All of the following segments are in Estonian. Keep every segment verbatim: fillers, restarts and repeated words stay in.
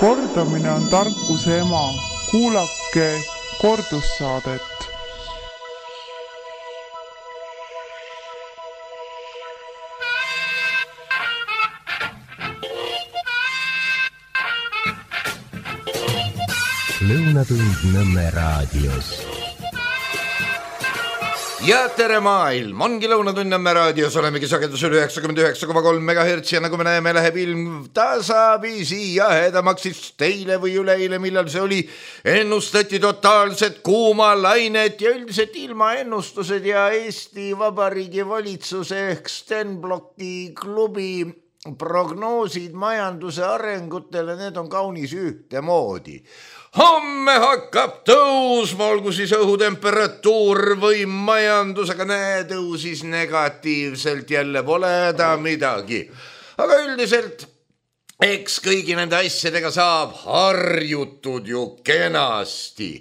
Kordamine on tarkuse ema. Kuulake kordussaadet. Lõunatund Nõmme raadios. Ja tere maailm, ongi Lõunatund Nõmme raadios, olemegi sagedusel üheksakümmend üheksa koma kolm megahertsi ja nagu me näeme, läheb ilm tasapisi jahedamaks teile või üleile, millal see oli. Ennustati totaalset kuuma lainet ja üldiselt ilmaennustused ja Eesti Vabariigi valitsuse ehk Stenblocki klubi prognoosid majanduse arengutele, need on kaunis ühtemoodi. Homme hakkab tõusma, olgu siis õhutemperatuur või majandus, aga näe, tõusis negatiivselt, jälle pole häda midagi. Aga üldiselt, eks kõigi nende asjadega saab harjutud ju kenasti.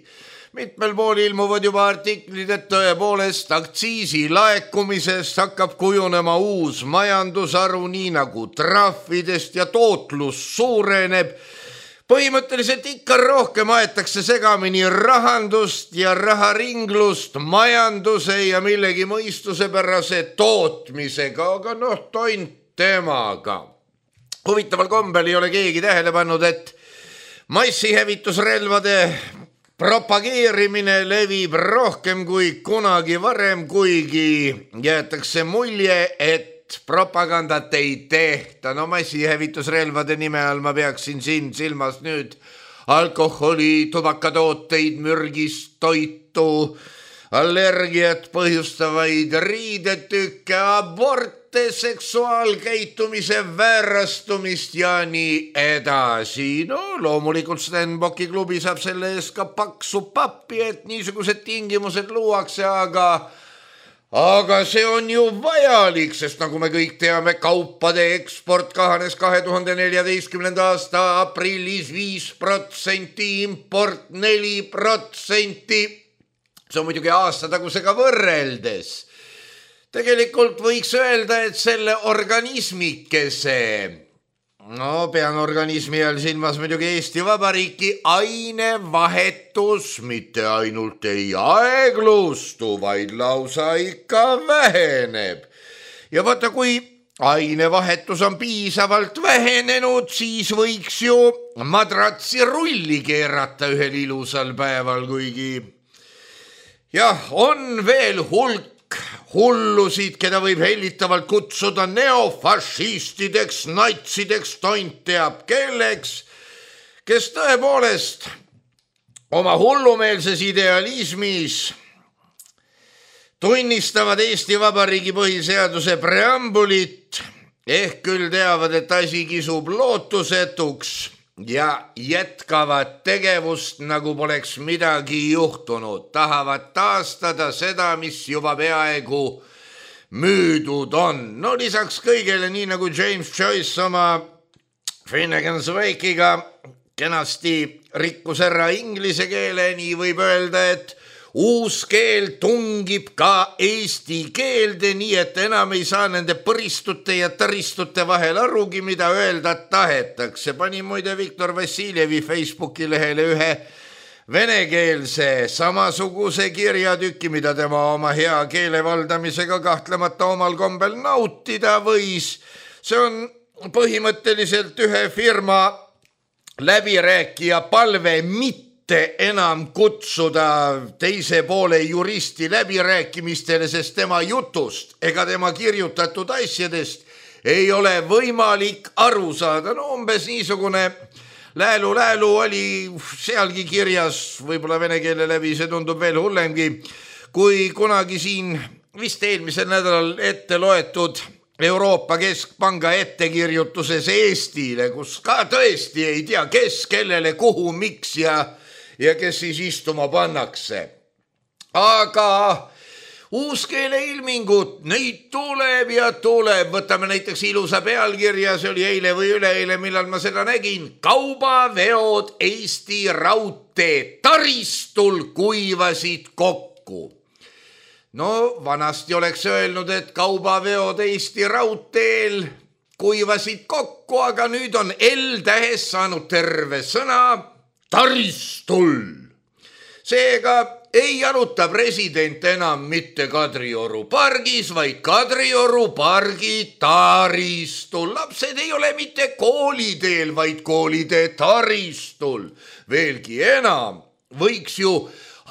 Mitmel pool ilmuvad juba artiklid, et tõepoolest aktsiisi laekumisest hakkab kujunema uus majandusharu, nii nagu trahvidest ja tootlus suureneb. Põhimõtteliselt ikka rohkem aetakse segamini rahandust ja raharinglust majanduse ja millegi mõistusepärase tootmisega, aga noh, toint temaga. Huvitaval kombel ei ole keegi tähele pannud, et massihävitusrelvade propageerimine levib rohkem kui kunagi varem, kuigi jäetakse mulje, et propagandat ei tehta. No massihävitusrelvade nime all ma peaksin siin silmas nüüd alkoholi, tubakatooteid, mürgist toitu, allergiat põhjustavaid riidetükke, aborte, seksuaalkäitumise väärastumist ja nii edasi. No loomulikult Stenbocki klubi saab selle eest ka paksu pappi, et niisugused tingimused luuakse, aga Aga see on ju vajalik, sest nagu me kõik teame, kaupade eksport kahanes kahe tuhande neljateistkümnenda aasta aprillis viis protsenti, import neli protsenti. See on muidugi aastatagusega võrreldes. Tegelikult võiks öelda, et selle organismikese, no pean organismi all silmas muidugi Eesti Vabariiki, ainevahetus mitte ainult ei aeglustu, vaid lausa ikka väheneb. Ja vaata, kui ainevahetus on piisavalt vähenenud, siis võiks ju madratsi rulli keerata ühel ilusal päeval, kuigi jah, on veel hulk hullusid, keda võib hellitavalt kutsuda neofašistideks, natsideks, tont teab kelleks, kes tõepoolest oma hullumeelses idealismis tunnistavad Eesti Vabariigi põhiseaduse preambulit, ehk küll teavad, et asi kisub lootusetuks ja jätkavad tegevust, nagu poleks midagi juhtunud. Tahavad taastada seda, mis juba peaaegu müüdud on. No lisaks kõigele, nii nagu James Joyce oma Finnegan's Wake'iga kenasti rikkus ära inglise keele, nii võib öelda, et uus keel tungib ka eesti keelde, nii et enam ei saa nende põristute ja taristute vahel arugi, mida öelda tahetakse. Pani muide Viktor Vassiljevi Facebooki lehele ühe venekeelse samasuguse kirjatüki, mida tema oma hea keele valdamisega kahtlemata omal kombel nautida võis. See on põhimõtteliselt ühe firma läbirääkija palve mitte enam kutsuda teise poole juristi läbirääkimistele, sest tema jutust ega tema kirjutatud asjadest ei ole võimalik aru saada. No umbes niisugune läälu-läälu oli sealgi kirjas, võib-olla vene keele läbi, see tundub veel hullemgi, kui kunagi siin vist eelmisel nädalal ette loetud Euroopa Keskpanga ettekirjutuses Eestile, kus ka tõesti ei tea, kes, kellele, kuhu, miks ja ja kes siis istuma pannakse. Aga uuskeele ilmingud, neid tuleb ja tuleb. Võtame näiteks ilusa pealkirja, see oli eile või üleeile, millal ma seda nägin. Kaubaveod Eesti raudtee taristul kuivasid kokku. No vanasti oleks öelnud, et kaubaveod Eesti raudteel kuivasid kokku, aga nüüd on L-tähes saanud terve sõna taristul. Seega ei aruta president enam mitte Kadrioru pargis, vaid Kadrioru pargi taristul. Lapsed ei ole mitte kooliteel, vaid koolitee taristul. Veelgi enam, võiks ju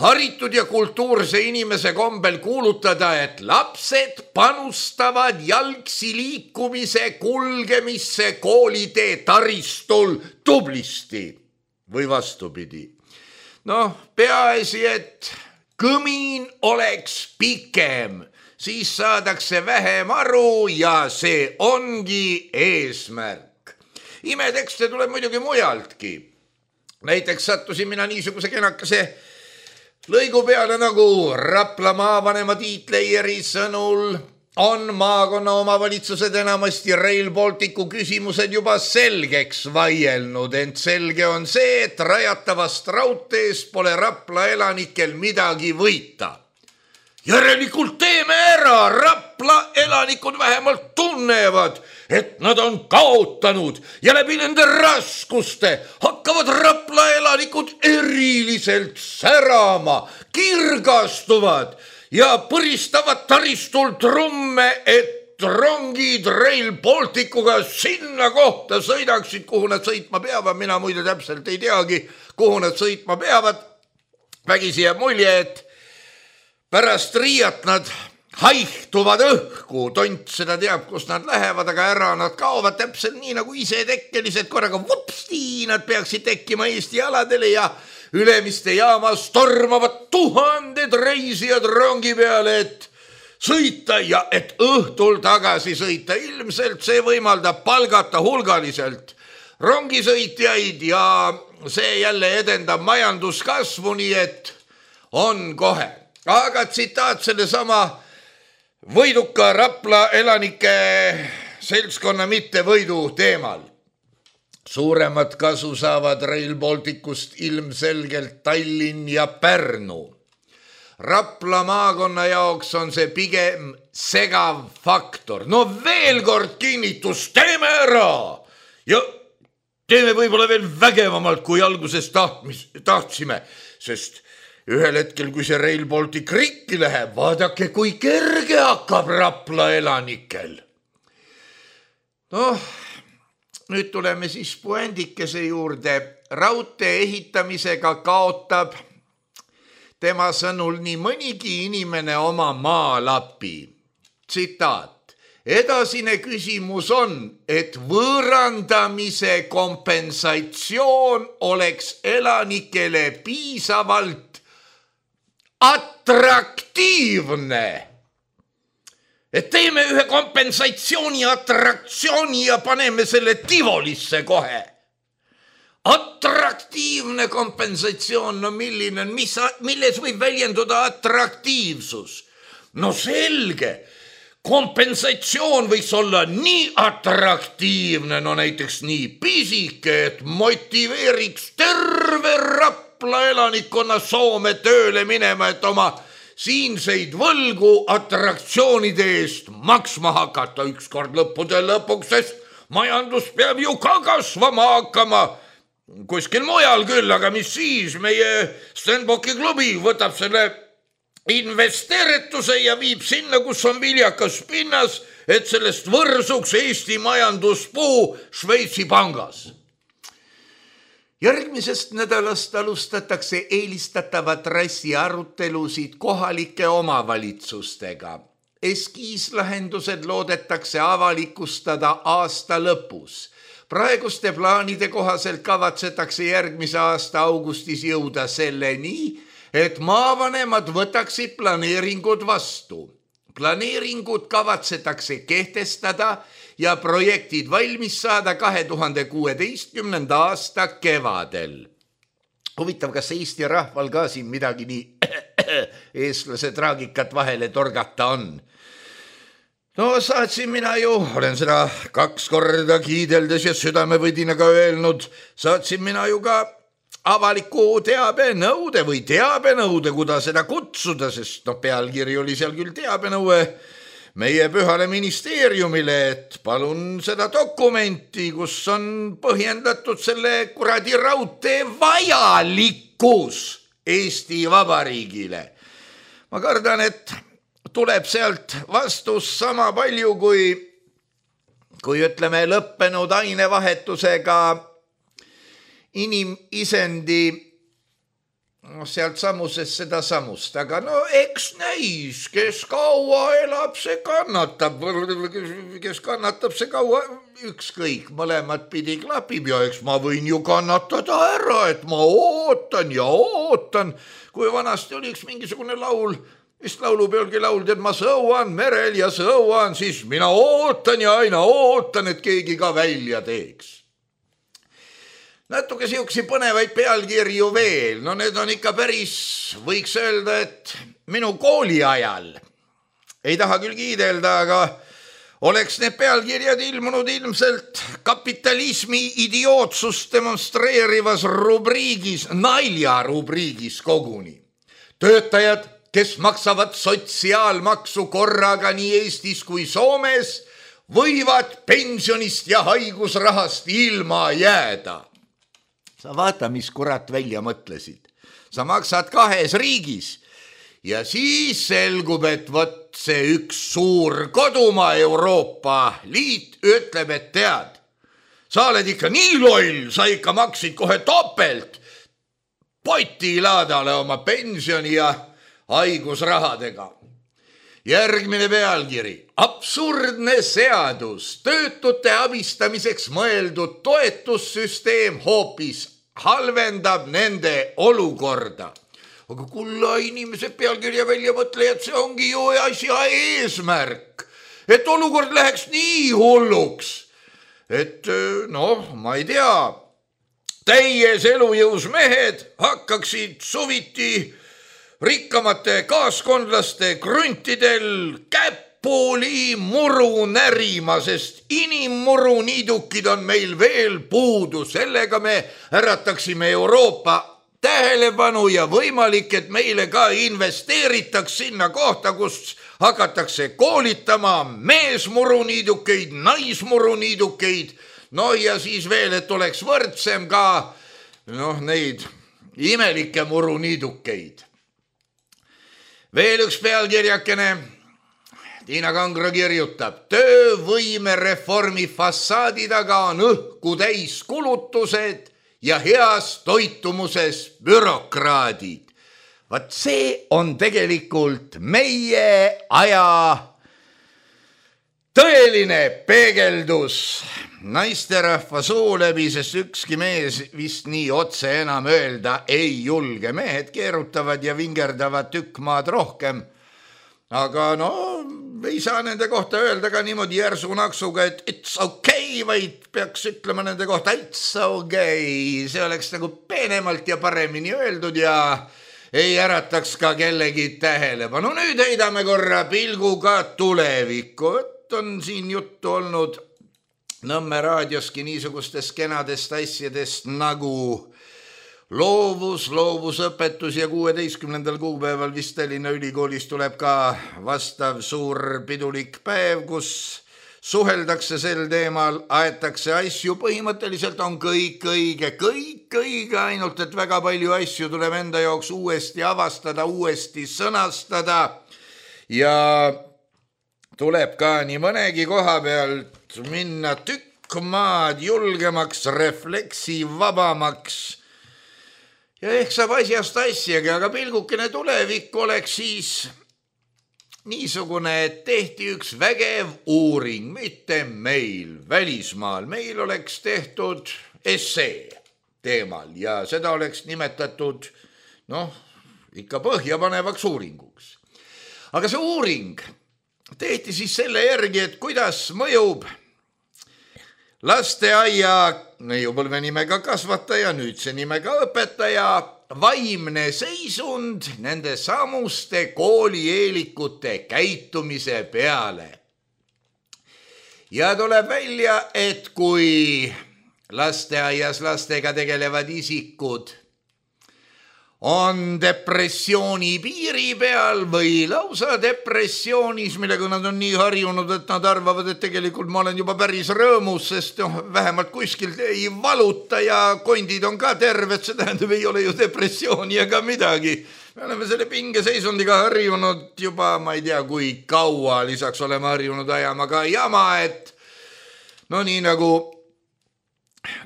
haritud ja kultuurse inimese kombel kuulutada, et lapsed panustavad jalgsi liikumise kulgemisse koolitee taristul tublisti või vastupidi. Noh, peaasi, et kõmin oleks pikem, siis saadakse vähem aru ja see ongi eesmärk. Imetekste tuleb muidugi mujaltki. Näiteks sattusin mina niisuguse kenakese lõigu peale nagu Rapla maavanema Tiit Leieri sõnul on maakonna omavalitsused enamasti Rail Balticu küsimused juba selgeks vaielnud, ent selge on see, et rajatavast raudteest pole Rapla elanikel midagi võita. Järelikult teeme ära, Rapla elanikud vähemalt tunnevad, et nad on kaotanud ja läbi nende raskuste hakkavad Rapla elanikud eriliselt särama, kirgastuvad ja põristavad taristul trumme, et rongid Rail Balticuga sinna kohta sõidaksid, kuhu nad sõitma peavad. Mina muide täpselt ei teagi, kuhu nad sõitma peavad. Vägisi jääb mulje, et pärast Riiat nad haihtuvad õhku, tont seda teab, kus nad lähevad, aga ära nad kaovad täpselt nii nagu ise tekkelised korraga vupsti, nad peaksid tekkima Eesti aladele ja Ülemiste jaamas tormavad tuhanded reisijad rongi peale, et sõita ja et õhtul tagasi sõita. Ilmselt see võimaldab palgata hulgaliselt rongisõitjaid ja see jälle edendab majanduskasvu, nii et on kohe. Aga tsitaat selle sama võiduka Rapla elanike seltskonna mitte võidu teemal. Suuremat kasu saavad Rail Balticust ilmselgelt Tallinn ja Pärnu. Rapla maakonna jaoks on see pigem segav faktor. No veel kord kinnitus, teeme ära ja teeme võib-olla veel vägevamalt, kui alguses tahtmis, tahtsime, sest ühel hetkel, kui see Rail Baltic rikki läheb, vaadake, kui kerge hakkab Rapla elanikel. Noh, nüüd tuleme siis puendikese juurde. Raudtee ehitamisega kaotab tema sõnul nii mõnigi inimene oma maalapi. Tsitaat. Edasine küsimus on, et võõrandamise kompensatsioon oleks elanikele piisavalt atraktiivne. Et teeme ühe kompensatsiooni atraktsiooni ja paneme selle Tivolisse kohe. Atraktiivne kompensatsioon, no milline on, mis, milles võib väljenduda atraktiivsus? No selge, kompensatsioon võiks olla nii atraktiivne, no näiteks nii pisike, et motiveeriks terve Rapla elanikkonna Soome tööle minema, et oma siinseid võlgu atraktsioonide eest maksma hakata ükskord lõppude lõpuks, sest majandus peab ju ka kasvama hakkama. Kuskil mujal küll, aga mis siis, meie Stenbocki klubi võtab selle investeerituse ja viib sinna, kus on viljakas pinnas, et sellest võrsuks Eesti majanduspuu Šveitsi pangas. Järgmisest nädalast alustatakse eelistatava trassi arutelusid kohalike omavalitsustega. Eskiislahendused loodetakse avalikustada aasta lõpus. Praeguste plaanide kohaselt kavatsetakse järgmise aasta augustis jõuda selleni, et maavanemad võtaksid planeeringud vastu. Planeeringud kavatsetakse kehtestada ja projektid valmis saada kahe tuhande kuueteistkümnenda aasta kevadel. Huvitav, kas Eesti rahval ka siin midagi nii eestlase traagikat vahele torgata on? No saatsin mina ju, olen seda kaks korda kiideldes ja südamevõdinaga öelnud, saatsin mina ju ka avaliku teabenõude või teabenõude, kuda seda kutsuda, sest no pealkiri oli seal küll teabenõue, meie pühale ministeeriumile, et palun seda dokumenti, kus on põhjendatud selle kuradi raudtee vajalikkus Eesti Vabariigile. Ma kardan, et tuleb sealt vastus sama palju kui, kui ütleme lõppenud ainevahetusega inimisendi no, sealt samusest seda samust, aga no eks näis, kes kaua elab, see kannatab, kes kannatab, see kaua ükskõik, mõlemad pidi klapib ja eks ma võin ju kannatada ära, et ma ootan ja ootan, kui vanasti oli üks mingisugune laul, vist laulupeolgi lauldi, et ma sõuan merel ja sõuan, siis mina ootan ja aina ootan, et keegi ka välja teeks. Natuke siuksi põnevaid pealkirju veel, no need on ikka päris, võiks öelda, et minu kooli ajal, ei taha küll kiidelda, aga oleks need pealkirjad ilmunud ilmselt kapitalismi idiootsust demonstreerivas rubriigis, nalja rubriigis koguni. Töötajad, kes maksavad sotsiaalmaksu korraga nii Eestis kui Soomes, võivad pensionist ja haigusrahast ilma jääda. Sa vaata, mis kurat välja mõtlesid. Sa maksad kahes riigis ja siis selgub, et võt see üks suur kodumaa Euroopa Liit ütleb, et tead, sa oled ikka nii loll, sa ikka maksid kohe topelt potilaadale oma pensioni ja haigusrahadega. Järgmine pealkiri. Absurdne seadus. Töötute abistamiseks mõeldud toetussüsteem hoopis halvendab nende olukorda. Aga kulla inimesed pealkirja välja mõtlejad, see ongi ju asja eesmärk. Et olukord läheks nii hulluks. Et noh, ma ei tea, täies elujõus mehed hakkaksid suviti rikkamate kaaskondlaste kruntidel käpuli muru närima, sest inimmuru niidukid on meil veel puudu. Sellega me ärataksime Euroopa tähelepanu ja võimalik, et meile ka investeeritaks sinna kohta, kus hakatakse koolitama meesmuru niidukeid, naismuru niidukeid. No ja siis veel, et oleks võrdsem ka noh, neid imelikke muru niidukeid. Veel üks pealkirjakene. Tiina Kangro kirjutab, töövõime reformi fassaadi taga on õhku täis kulutused ja heas toitumuses bürokraadid. Vaat see on tegelikult meie aja tõeline peegeldus naisterahva suu läbi, sest ükski mees vist nii otse enam öelda ei julge. Mehed keerutavad ja vingerdavad tükk maad rohkem. Aga no, ei saa nende kohta öelda ka niimoodi järsu naksuga, et it's okay, vaid peaks ütlema nende kohta it's okay. See oleks nagu peenemalt ja paremini öeldud ja ei ärataks ka kellegi tähelepanu. Nüüd heidame korra pilguga tulevikku. On siin juttu olnud Nõmme raadioski niisugustest kenadest asjadest nagu loovus, loovusõpetus ja kuueteistkümnendal kuupäeval vist Tallinna Ülikoolis tuleb ka vastav suur pidulik päev, kus suheldakse sel teemal, aetakse asju, põhimõtteliselt on kõik õige, kõik õige, ainult et väga palju asju tuleb enda jaoks uuesti avastada, uuesti sõnastada ja tuleb ka nii mõnegi koha pealt minna tükk maad julgemaks, refleksivabamaks ja ehk saab asjast asjagi, aga pilgukene tulevik oleks siis niisugune, et tehti üks vägev uuring, mitte meil, välismaal. Meil oleks tehtud essee teemal ja seda oleks nimetatud, noh, ikka põhjapanevaks uuringuks. Aga see uuring tehti siis selle järgi, et kuidas mõjub lasteaia neiupõlve nimega kasvataja, nüüdse nimega õpetaja vaimne seisund nende samuste koolieelikute käitumise peale. Ja tuleb välja, et kui lasteaias lastega tegelevad isikud on depressiooni piiri peal või lausa depressioonis, millega nad on nii harjunud, et nad arvavad, et tegelikult ma olen juba päris rõõmus, sest noh, vähemalt kuskil ei valuta ja kondid on ka terved, see tähendab, ei ole ju depressiooni ega midagi. Me oleme selle pingeseisundiga harjunud juba, ma ei tea, kui kaua, lisaks oleme harjunud ajama ka jama, et no nii nagu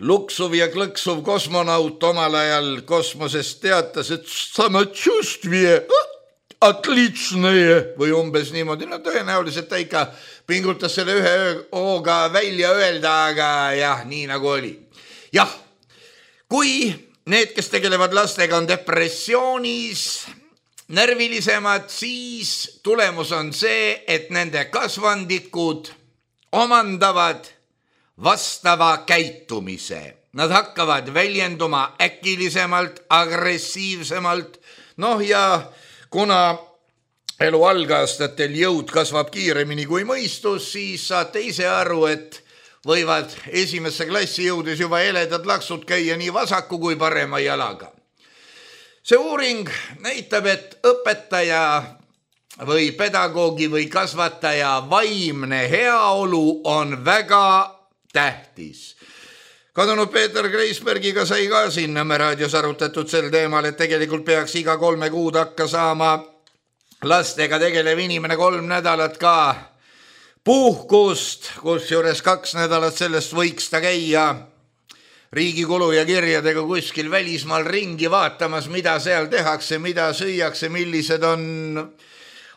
luksuv ja klõksuv kosmonaut omal ajal kosmosest teatas, et samachustvie, atlitsnõje või umbes niimoodi. No tõenäoliselt ta ikka pingutas selle ühe hooga välja öelda, aga jah, nii nagu oli. Jah, kui need, kes tegelevad lastega, on depressioonis, närvilisemad, siis tulemus on see, et nende kasvandikud omandavad vastava käitumise. Nad hakkavad väljenduma äkilisemalt, agressiivsemalt. Noh ja kuna elu algaastatel jõud kasvab kiiremini kui mõistus, siis saate ise aru, et võivad esimesse klassi jõudes juba eledad laksud käia nii vasaku kui parema jalaga. See uuring näitab, et õpetaja või pedagoogi või kasvataja vaimne heaolu on väga tähtis. Kadunud Peeter Kreisbergiga sai ka siin Nõmme raadios arutatud sel teemal, et tegelikult peaks iga kolme kuud hakka saama lastega tegelev inimene kolm nädalat ka puhkust, kus juures kaks nädalat sellest võiks ta käia riigi kulu ja kirjadega kuskil välismaal ringi vaatamas, mida seal tehakse, mida süüakse, millised on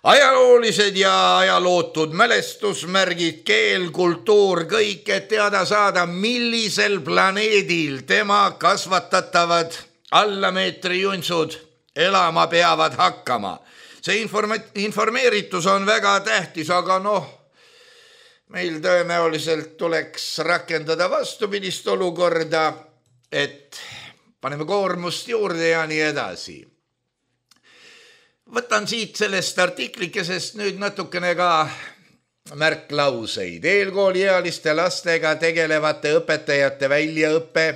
ajaloolised ja ajalootud mälestusmärgid, keel, kultuur, kõik, et teada saada, millisel planeedil tema kasvatatavad allameetri juntsud elama peavad hakkama. See informa- informeeritus on väga tähtis, aga noh, meil tõenäoliselt tuleks rakendada vastupidist olukorda, et paneme koormust juurde ja nii edasi. Võtan siit sellest artiklikesest nüüd natukene ka märklauseid. Eelkooliealiste lastega tegelevate õpetajate väljaõppe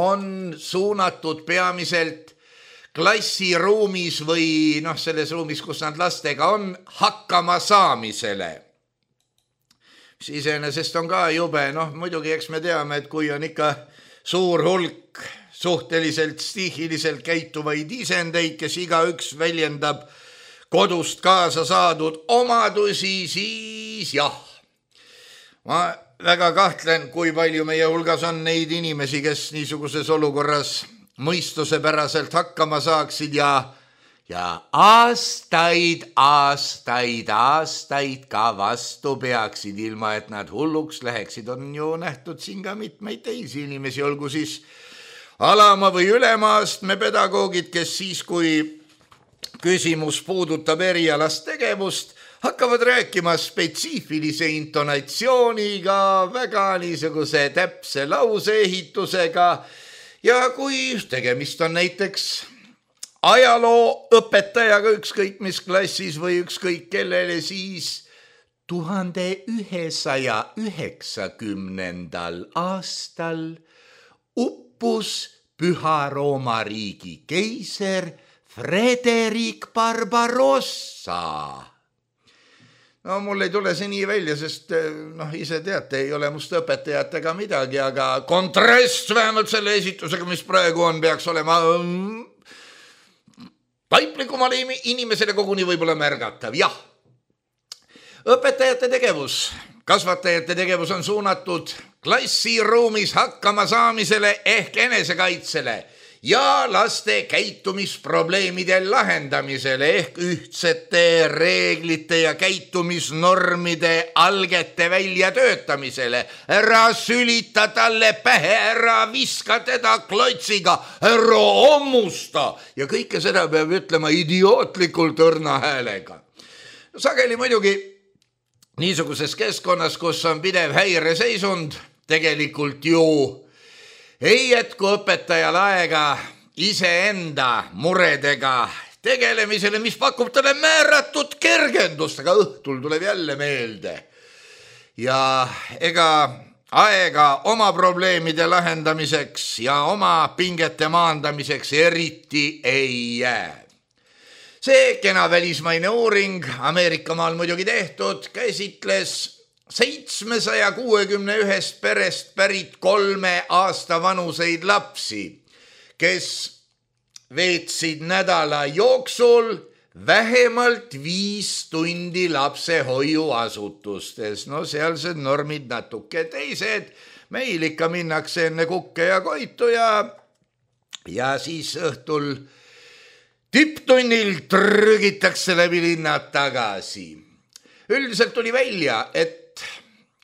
on suunatud peamiselt klassiruumis või noh, selles ruumis, kus nad lastega on, hakkama saamisele. Mis iseenesest on ka jube, noh muidugi eks me teame, et kui on ikka suur hulk suhteliselt stihiliselt käituvaid isendeid, kes igaüks väljendab kodust kaasa saadud omadusi, siis jah. Ma väga kahtlen, kui palju meie hulgas on neid inimesi, kes niisuguses olukorras mõistusepäraselt hakkama saaksid ja, ja aastaid, aastaid, aastaid ka vastu peaksid, ilma et nad hulluks läheksid. On ju nähtud siin ka mitmeid teisi inimesi, olgu siis alama või ülemaastme pedagoogid, kes siis, kui küsimus puudutab erialast tegevust, hakkavad rääkima spetsiifilise intonatsiooniga, väga niisuguse täpse lauseehitusega ja kui tegemist on näiteks ajaloo õpetajaga ükskõik mis klassis või ükskõik kellele, siis tuhande ühesaja üheksakümnendal aastal uppus Püha Rooma riigi keiser Frederik Barbarossa. No mul ei tule see nii välja, sest noh, ise teate, ei ole must õpetajatega midagi, aga kontrast vähemalt selle esitusega, mis praegu on, peaks olema taiplikumale inimesele koguni võib-olla märgatav. Jah, õpetajate tegevus, kasvatajate tegevus on suunatud klassiruumis hakkama saamisele ehk enesekaitsele ja laste käitumisprobleemide lahendamisele ehk ühtsete reeglite ja käitumisnormide algete väljatöötamisele. Ära sülita talle pähe, ära viska teda klotsiga, ära ommusta ja kõike seda peab ütlema idiootlikult õrna häälega. Sageli muidugi niisuguses keskkonnas, kus on pidev häireseisund, tegelikult ju ei jätku õpetajal aega iseenda muredega tegelemisele, mis pakub talle määratud kergendust, aga õhtul tuleb jälle meelde. Ja ega aega oma probleemide lahendamiseks ja oma pingete maandamiseks eriti ei jää. See kena välismaine uuring Ameerika maal muidugi tehtud käsitles seitsmesaja kuuekümne ühest perest pärit kolme aasta vanuseid lapsi, kes veetsid nädala jooksul vähemalt viis tundi lapsehoiuasutustes. No sealsed normid natuke teised. Meil ikka minnakse enne kukke ja koitu ja, ja siis õhtul tipptunnil trügitakse läbi linnad tagasi. Üldiselt tuli välja, et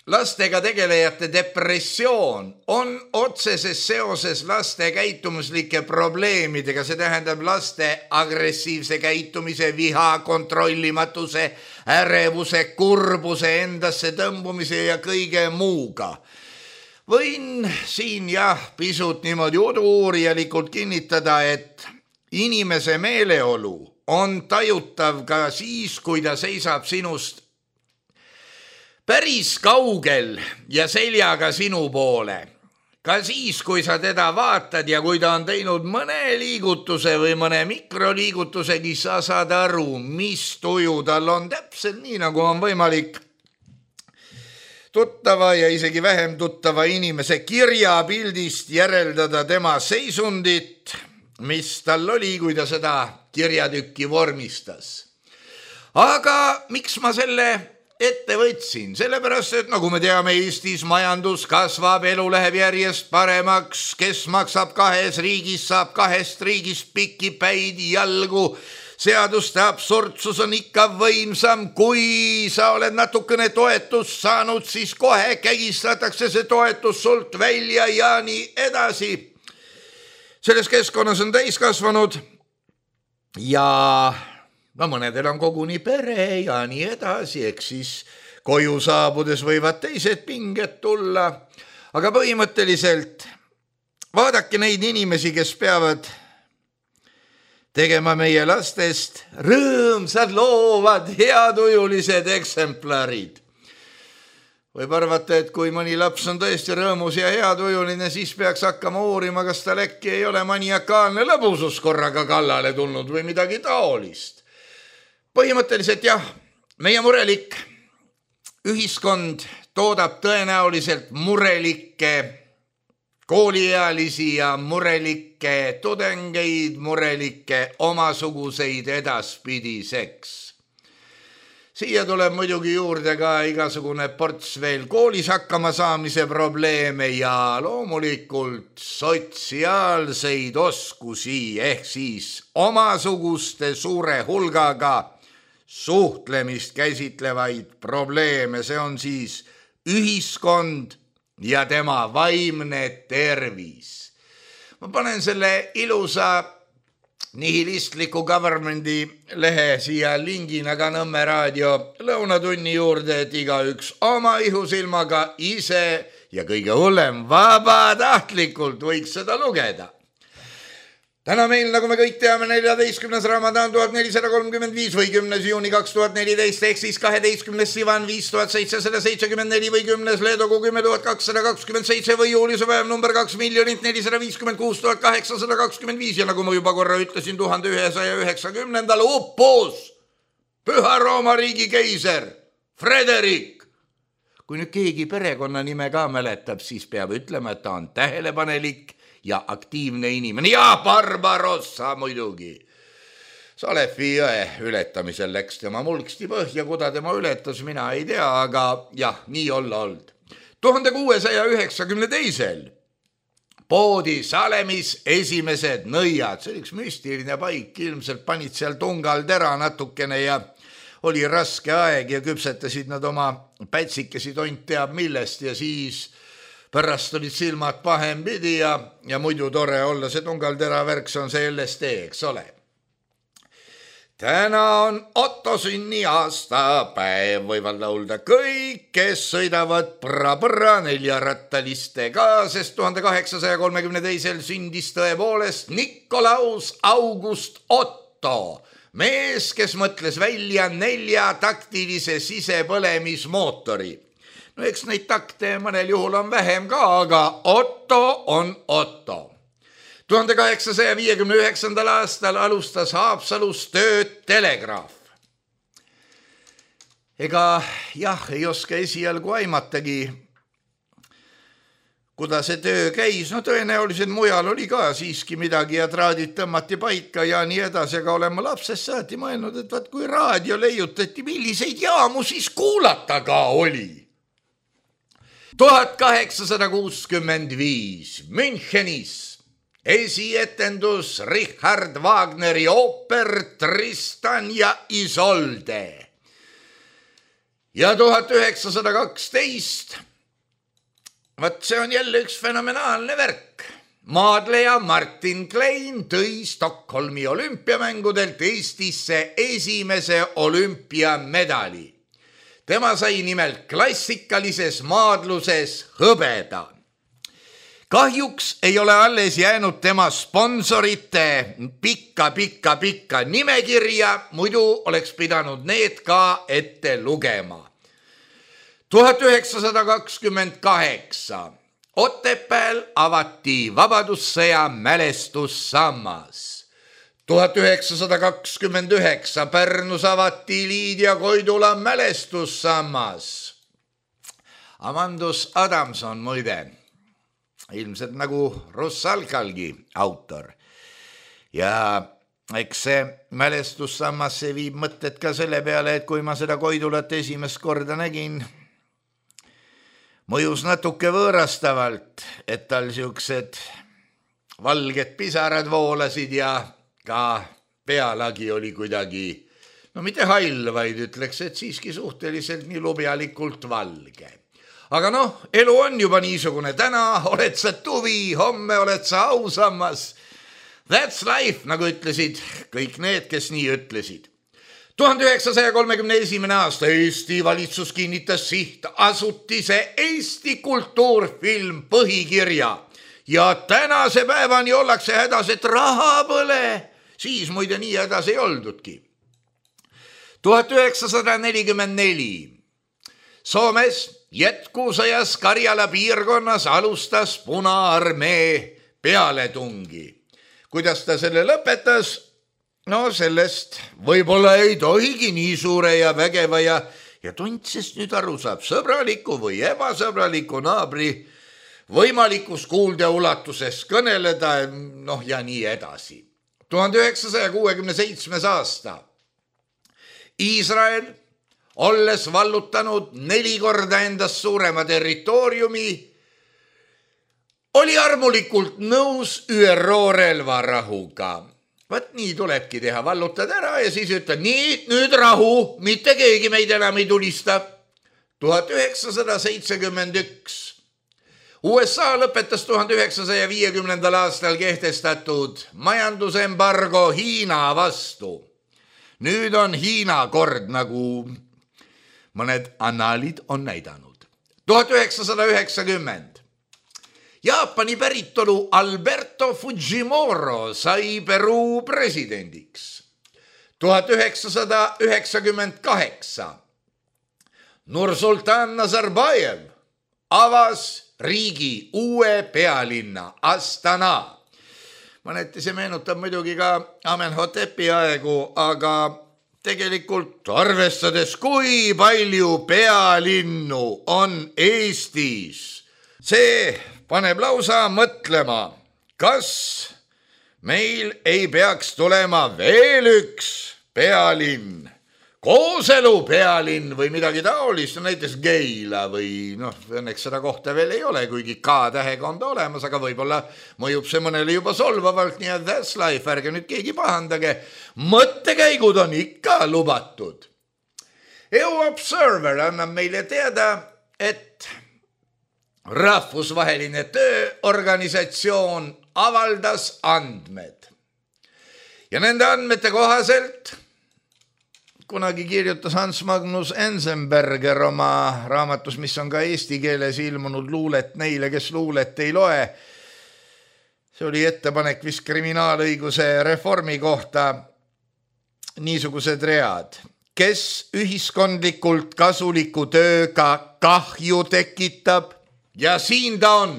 lastega tegelejate depressioon on otseses seoses laste käitumislike probleemidega, see tähendab laste agressiivse käitumise, viha, kontrollimatuse, ärevuse, kurbuse, endasse tõmbumise ja kõige muuga. Võin siin jah pisut niimoodi uurielikult kinnitada, et inimese meeleolu on tajutav ka siis, kui ta seisab sinust päris kaugel ja seljaga sinu poole. Ka siis, kui sa teda vaatad ja kui ta on teinud mõne liigutuse või mõne mikroliigutusegi, sa saad aru, mis tuju tal on, täpselt nii, nagu on võimalik tuttava ja isegi vähem tuttava inimese kirjapildist järeldada tema seisundit, mis tal oli, kui ta seda kirjatükki vormistas. Aga miks ma selle ette võtsin? Sellepärast, et nagu me teame, Eestis majandus kasvab, elu läheb järjest paremaks, kes maksab kahes riigis, saab kahest riigist pikipäid jalgu. Seaduste absurdsus on ikka võimsam, kui sa oled natukene toetust saanud, siis kohe kägistatakse see toetus sult välja ja nii edasi. Selles keskkonnas on täiskasvanud ja no mõnedel on koguni pere ja nii edasi, eks siis koju saabudes võivad teised pinged tulla. Aga põhimõtteliselt vaadake neid inimesi, kes peavad tegema meie lastest rõõmsad, loovad, heatujulised eksemplarid. Võib arvata, et kui mõni laps on tõesti rõõmus ja heatujuline, siis peaks hakkama uurima, kas tal äkki ei ole maniakaalne lõbusus korraga kallale tulnud või midagi taolist. Põhimõtteliselt jah, meie murelik ühiskond toodab tõenäoliselt murelikke kooliealisi ja murelikke tudengeid, murelikke omasuguseid edaspidiseks. Siia tuleb muidugi juurde ka igasugune ports veel koolis hakkama saamise probleeme ja loomulikult sotsiaalseid oskusi ehk siis omasuguste suure hulgaga suhtlemist käsitlevaid probleeme, see on siis ühiskond ja tema vaimne tervis. Ma panen selle ilusa nihilistliku governmendi lehe siia lingina ka Nõmme raadio lõunatunni juurde, et igaüks oma ihusilmaga ise ja kõige hullem vabatahtlikult võiks seda lugeda. Täna meil, nagu me kõik teame, neljateistkümnes Ramadan tuhat nelisada kolmkümmend viis või kümnes juuni kaks tuhat neliteist ehk siis kaheteistkümnes Sivan viis tuhat seitsesada seitsekümmend neli või kümnes Leedogu kümme tuhat kakssada kakskümmend seitse või juulise päev number kaks miljonit nelisada viiskümmend kuus tuhat kaheksasada kakskümmend viis ja nagu ma juba korra ütlesin, tuhande ühesaja üheksakümnendal uppus Püha Rooma riigi keiser Frederik. Kui nüüd keegi perekonna nime ka mäletab, siis peab ütlema, et ta on tähelepanelik ja aktiivne inimene. Ja Barbarossa muidugi. Salefi jõe ületamisel läks tema mulksti põhja, kuda tema ületas, mina ei tea, aga jah, nii olla olnud. tuhande kuuesaja üheksakümne teisel poodi Salemis esimesed nõiad. See oli üks müstiline paik, ilmselt panid seal tungal tera natukene ja oli raske aeg ja küpsetasid nad oma pätsikesi tont teab millest ja siis pärast olid silmad pahem pidi ja, ja muidu tore olla. See tungaltera värk, see on see L S D, eks ole. Täna on Otto sünni aastapäev, võivad laulda kõik, kes sõidavad pra-pra neljarattalistega, sest tuhande kaheksasaja kolmekümne teisel sündis tõepoolest Nikolaus August Otto, mees, kes mõtles välja neljataktilise sisepõlemismootori. no eks neid takte mõnel juhul on vähem ka, aga Otto on Otto. tuhande kaheksasaja viiekümne üheksandal aastal alustas Haapsalus tööd telegraaf. Ega jah, ei oska esialgu aimatagi, kuidas see töö käis, no tõenäoliselt mujal oli ka siiski midagi ja traadid tõmmati paika ja nii edasi, aga olen ma lapsest saati mõelnud, et vaat kui raadio leiutati, milliseid jaamu siis kuulata ka oli. tuhat kaheksasada kuuskümmend viis Münchenis esietendus Richard Wagneri ooper Tristan ja Isolde. Ja tuhat üheksasada kaksteist, vaat see on jälle üks fenomenaalne värk. Maadleja Martin Klein tõi Stockholmi olümpiamängudelt Eestisse esimese olümpiamedali. Tema sai nimelt klassikalises maadluses hõbeda. Kahjuks ei ole alles jäänud tema sponsorite pikka, pikka, pikka nimekirja, muidu oleks pidanud need ka ette lugema. tuhat üheksasada kakskümmend kaheksa Otepääl avati Vabadussõja mälestussammas. tuhat üheksasada kakskümmend üheksa Pärnus avati Liidia Koidula mälestussammas. Amandus Adamson muide, ilmselt nagu Russalkalgi autor. Ja eks see mälestussammas see viib mõtted ka selle peale, et kui ma seda Koidulat esimest korda nägin, mõjus natuke võõrastavalt, et tal siuksed valged pisarad voolasid ja ka pealagi oli kuidagi, no mitte hall, vaid ütleks, et siiski suhteliselt nii lubjalikult valge. Aga noh, elu on juba niisugune, täna oled sa tuvi, homme oled sa ausammas. That's life, nagu ütlesid kõik need, kes nii ütlesid. tuhande üheksasaja kolmekümne esimene aasta Eesti valitsus kinnitas sihtasutise Eesti kultuurfilm põhikirja ja tänase päevani ollakse hädas, et raha põle. Siis muide nii hädas ei oldudki. tuhat üheksasada nelikümmend neli Soomes jätkusõjas Karjala piirkonnas alustas Punaarmee pealetungi. Kuidas ta selle lõpetas? No sellest võib-olla ei tohigi nii suure ja vägeva ja, ja tundsest nüüd aru saab sõbraliku või ebasõbraliku naabri võimalikus kuulda ulatuses kõneleda, noh ja nii edasi. tuhande üheksasaja kuuekümne seitsmes aasta Iisrael, olles vallutanud neli korda endast suurema territooriumi, oli armulikult nõus Ü R O relvarahuga. Vaat nii tulebki teha, vallutad ära ja siis ütled, nii, nüüd rahu, mitte keegi meid enam ei tulista. tuhat üheksasada seitsekümmend üks U S A lõpetas tuhande üheksasaja viiekümnendal aastal kehtestatud majandusembargo Hiina vastu. Nüüd on Hiina kord, nagu mõned annaalid on näidanud. tuhat üheksasada üheksakümmend Jaapani päritolu Alberto Fujimori sai Peruu presidendiks. tuhat üheksasada üheksakümmend kaheksa Nursultan Nazarbajev avas riigi uue pealinna Astana. Mõneti see meenutab muidugi ka Amenhotepi aegu, aga tegelikult arvestades, kui palju pealinnu on Eestis, see paneb lausa mõtlema, kas meil ei peaks tulema veel üks pealinn, kooselu pealinn või midagi taolist, näiteks Keila või noh, õnneks seda kohta veel ei ole, kuigi K-tähega on ta olemas, aga võib-olla mõjub see mõnele juba solvavalt, nii et that's life, ärge nüüd keegi pahandage. Mõttekäigud on ikka lubatud. E U Observer annab meile teada, et rahvusvaheline tööorganisatsioon avaldas andmed. Ja nende andmete kohaselt kunagi kirjutas Hans Magnus Enzenberger oma raamatus, mis on ka eesti keeles ilmunud, luulet neile, kes luulet ei loe. See oli ettepanek vist kriminaalõiguse reformi kohta, niisugused read. kes ühiskondlikult kasuliku tööga kahju tekitab ja siin ta on.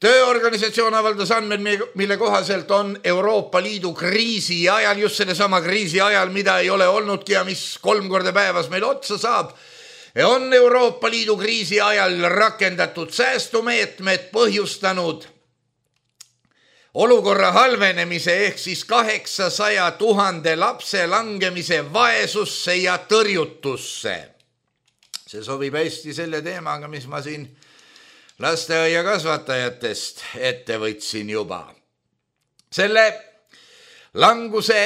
Tööorganisatsioon avaldas andmed, mille kohaselt on Euroopa Liidu kriisi ajal, just selle sama kriisi ajal, mida ei ole olnudki ja mis kolm korda päevas meil otsa saab, on Euroopa Liidu kriisi ajal rakendatud säästumeetmed põhjustanud olukorra halvenemise ehk siis kaheksasaja tuhande lapse langemise vaesusse ja tõrjutusse. See sobib hästi selle teemaga, mis ma siin lasteaia kasvatajatest ette võtsin juba. Selle languse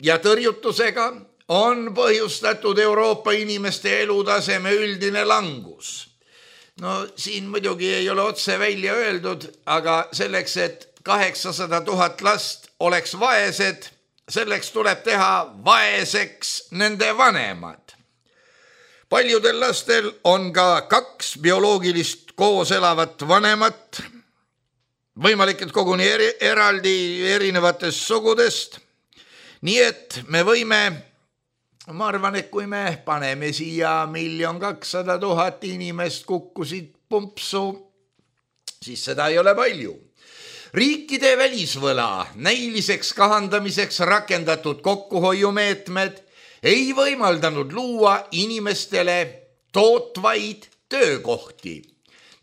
ja tõrjutusega on põhjustatud Euroopa inimeste elutaseme üldine langus. No siin muidugi ei ole otse välja öeldud, aga selleks, et kaheksasada tuhat last oleks vaesed, selleks tuleb teha vaeseks nende vanemad. Paljudel lastel on ka kaks bioloogilist koos elavat vanemat, võimalik, et koguni eri, eraldi erinevatest sugudest. Nii et me võime, ma arvan, et kui me paneme siia miljon kakssada tuhat inimest kukkusid pumpsu, siis seda ei ole palju. Riikide välisvõla näiliseks kahandamiseks rakendatud kokkuhoiumeetmed ei võimaldanud luua inimestele tootvaid töökohti.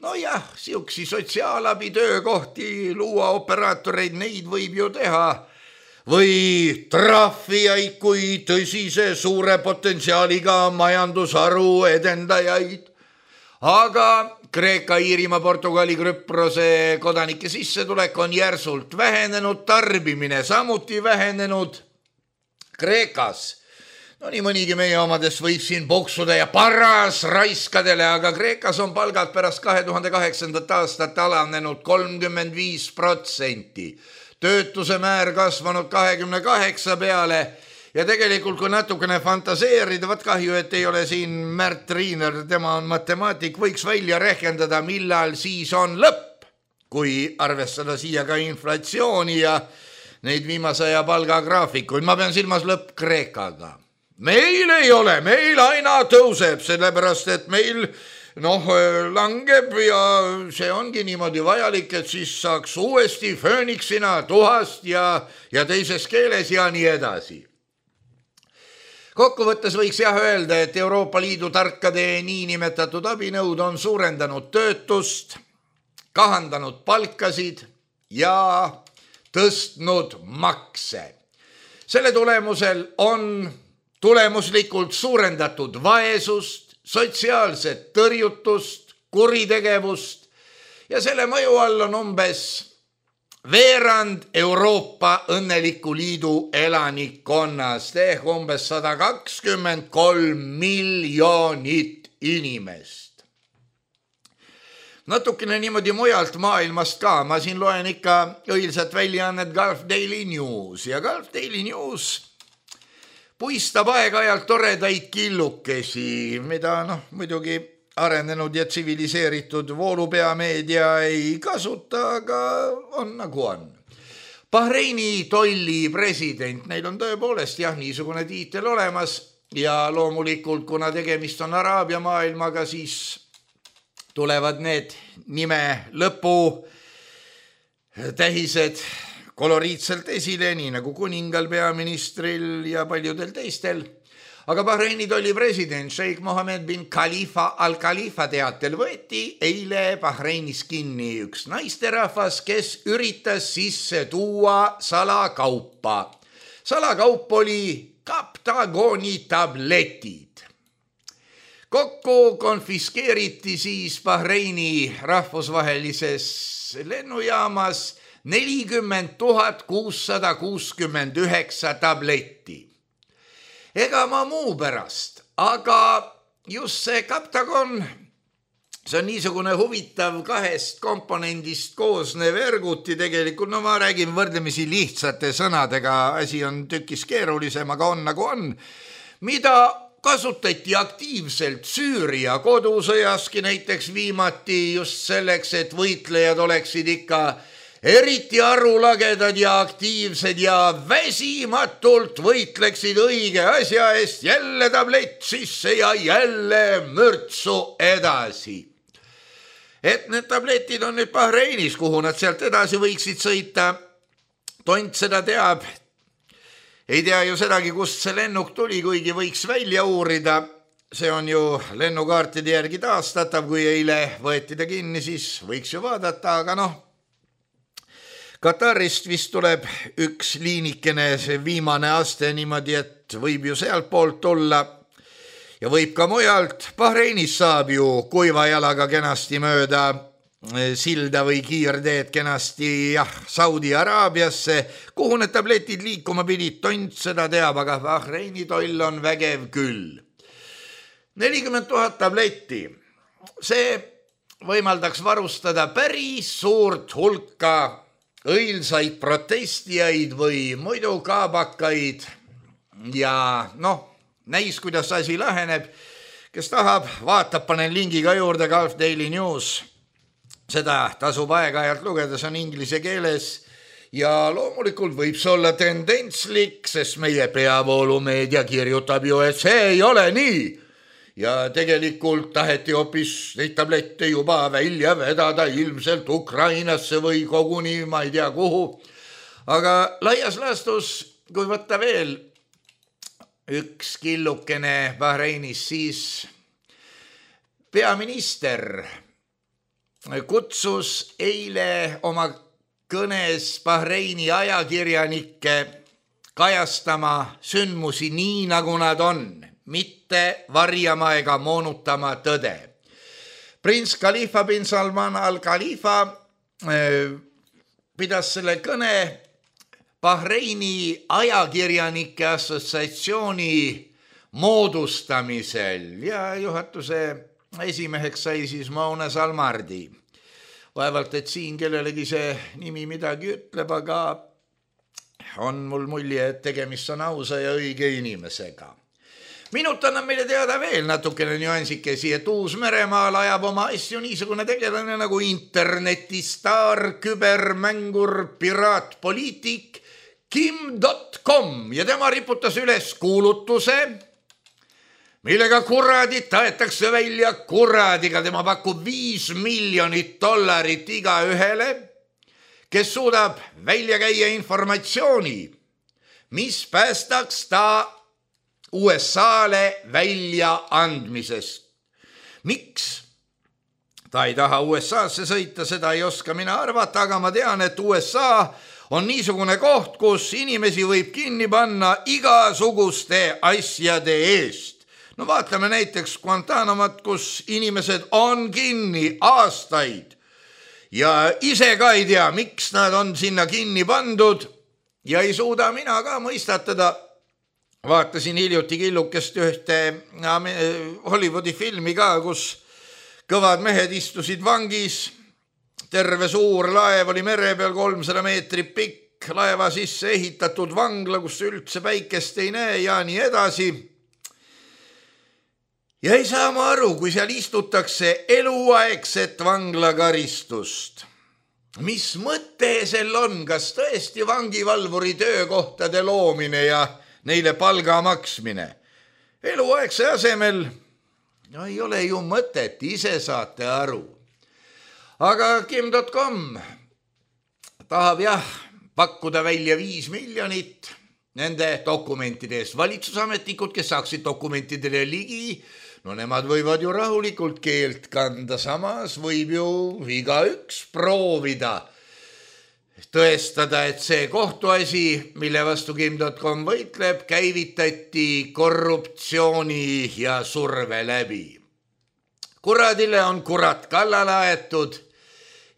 No jah, siuksi sotsiaalabi töökohti luua operaatoreid, neid võib ju teha. Või trahvijaid kui tõsise suure potentsiaaliga majandusharu edendajaid. Aga Kreeka, Iirimaa, Portugali, Küprose kodanike sissetulek on järsult vähenenud, tarbimine samuti vähenenud. Kreekas, no nii mõnigi meie omadest võib siin poksuda ja paras raiskadele, aga Kreekas on palgad pärast kahe tuhande kaheksandat aastat alanenud kolmkümmend viis protsenti. Töötuse määr kasvanud kahekümne kaheksa peale ja tegelikult kui natukene fantaseerida, võt kahju, et ei ole siin Märt Riiner, tema on matemaatik, võiks välja rehkendada, millal siis on lõpp, kui arvestada siia ka inflatsiooni ja neid viimase aja palgagraafikuid. Ma pean silmas lõpp Kreekaga. Meil ei ole, meil aina tõuseb, sellepärast et meil noh, langeb ja see ongi niimoodi vajalik, et siis saaks uuesti fööniksina tuhast ja, ja teises keeles ja nii edasi. Kokkuvõttes võiks jah öelda, et Euroopa Liidu tarkade niinimetatud abinõud on suurendanud töötust, kahandanud palkasid ja tõstnud makse. Selle tulemusel on tulemuslikult suurendatud vaesust, sotsiaalset tõrjutust, kuritegevust ja selle mõju all on umbes veerand Euroopa Õnneliku Liidu elanikkonnast ehk umbes sada kakskümmend kolm miljonit inimest. Natukene niimoodi mujalt maailmast ka, ma siin loen ikka õilsat väljaannet Gulf Daily News ja Gulf Daily News puistab aeg-ajalt toredaid killukesi, mida noh, muidugi arenenud ja tsiviliseeritud voolupeameedia ei kasuta, aga on nagu on. Bahreini tolli president, neil on tõepoolest jah niisugune tiitel olemas ja loomulikult, kuna tegemist on Araabia maailmaga, siis tulevad need nime lõpu tähised koloriitselt esile, nii nagu kuningal, peaministril ja paljudel teistel. Aga Bahreini tolli president Sheikh Mohammed bin Khalifa al-Khalifa teatel võeti eile Bahreinis kinni üks naisterahvas, kes üritas sisse tuua salakaupa. Salakaup oli kaptagoni tabletid. Kokku konfiskeeriti siis Bahreini rahvusvahelises lennujaamas nelikümmend tuhat kuussada kuuskümmend üheksa tabletti. Ega ma muu pärast, aga just see kaptagon, see on niisugune huvitav kahest komponendist koosnev erguti tegelikult, no ma räägin võrdlemisi lihtsate sõnadega, asi on tükis keerulisem, aga on nagu on, mida kasutati aktiivselt Süüria kodusõjaski näiteks viimati just selleks, et võitlejad oleksid ikka eriti arulagedad ja aktiivsed ja väsimatult võitleksid õige asja eest, jälle tablett sisse ja jälle mürtsu edasi. Et need tabletid on nüüd Bahreinis, kuhu nad sealt edasi võiksid sõita. Tont seda teab. Ei tea ju sedagi, kust see lennuk tuli, kuigi võiks välja uurida. See on ju lennukaartide järgi taastatav, kui eile võeti ta kinni, siis võiks ju vaadata, aga noh, Katarist vist tuleb üks liinikene, see viimane aste niimoodi, et võib ju sealt poolt tulla ja võib ka mujalt. Bahreinis saab ju kuiva jalaga kenasti mööda silda või kiirteed kenasti jah, Saudi Araabiasse, kuhu need tabletid liikuma pidid, Tont seda teab, aga Bahreini toll on vägev küll. nelikümmend tuhat tabletti, see võimaldaks varustada päris suurt hulka õilsaid protestijaid või muidu kaabakaid ja noh, näis, kuidas asi laheneb. Kes tahab, vaatab, panen lingi ka juurde, Gulf Daily News. Seda tasub aeg-ajalt lugeda, see on inglise keeles ja loomulikult võib see olla tendentslik, sest meie peavoolumeedia kirjutab ju, et see ei ole nii. Ja tegelikult taheti hoopis neid tablette juba välja vedada ilmselt Ukrainasse või koguni ma ei tea kuhu. Aga laias laastus, kui võtta veel üks killukene Bahreinis, siis peaminister kutsus eile oma kõnes Bahreini ajakirjanikke kajastama sündmusi nii, nagu nad on, mitte varjama ega moonutama tõde. Prints Khalifa bin Salman al-Khalifa äh, pidas selle kõne Bahreini ajakirjanike assotsiatsiooni moodustamisel ja juhatuse esimeheks sai siis Mona Salmardi. Vaevalt, et siin kellelegi see nimi midagi ütleb, aga on mul mulje, et tegemist on ausa ja õige inimesega. Minut annab meile teada veel natukene nüansikesi, et Uus-Meremaal ajab oma asju niisugune tegelane nagu internetistaar, kübermängur, piraatpoliitik Kim dot com ja tema riputas üles kuulutuse, millega kuradid taetakse välja kuradiga. Tema pakub viis miljonit dollarit iga ühele, kes suudab välja käia informatsiooni, mis päästaks ta U S A-le välja andmisest. Miks? Ta ei taha U S A-sse sõita, seda ei oska mina arvata, aga ma tean, et U S A on niisugune koht, kus inimesi võib kinni panna igasuguste asjade eest. No vaatame näiteks Guantanamat, kus inimesed on kinni aastaid ja ise ka ei tea, miks nad on sinna kinni pandud ja ei suuda mina ka mõistatada. Vaatasin hiljuti killukest ühte Hollywoodi filmi ka, kus kõvad mehed istusid vangis, terve suur laev oli mere peal kolmsada meetrit pikk, laeva sisse ehitatud vangla, kus üldse päikest ei näe ja nii edasi. Ja ei saa ma aru, kui seal istutakse eluaegset vanglakaristust. Mis mõte sel on, kas tõesti vangivalvuri töökohtade loomine ja neile palga maksmine? Eluaegse asemel no ei ole ju mõtet, ise saate aru. Aga Kim dot com tahab jah pakkuda välja viis miljonit nende dokumentide eest. Valitsusametnikud, kes saaksid dokumentidele ligi, no nemad võivad ju rahulikult keelt kanda, samas võib ju igaüks proovida tõestada, et see kohtuasi, mille vastu Kim dot com võitleb, käivitati korruptsiooni ja surve läbi. Kuradile on kurat kallale aetud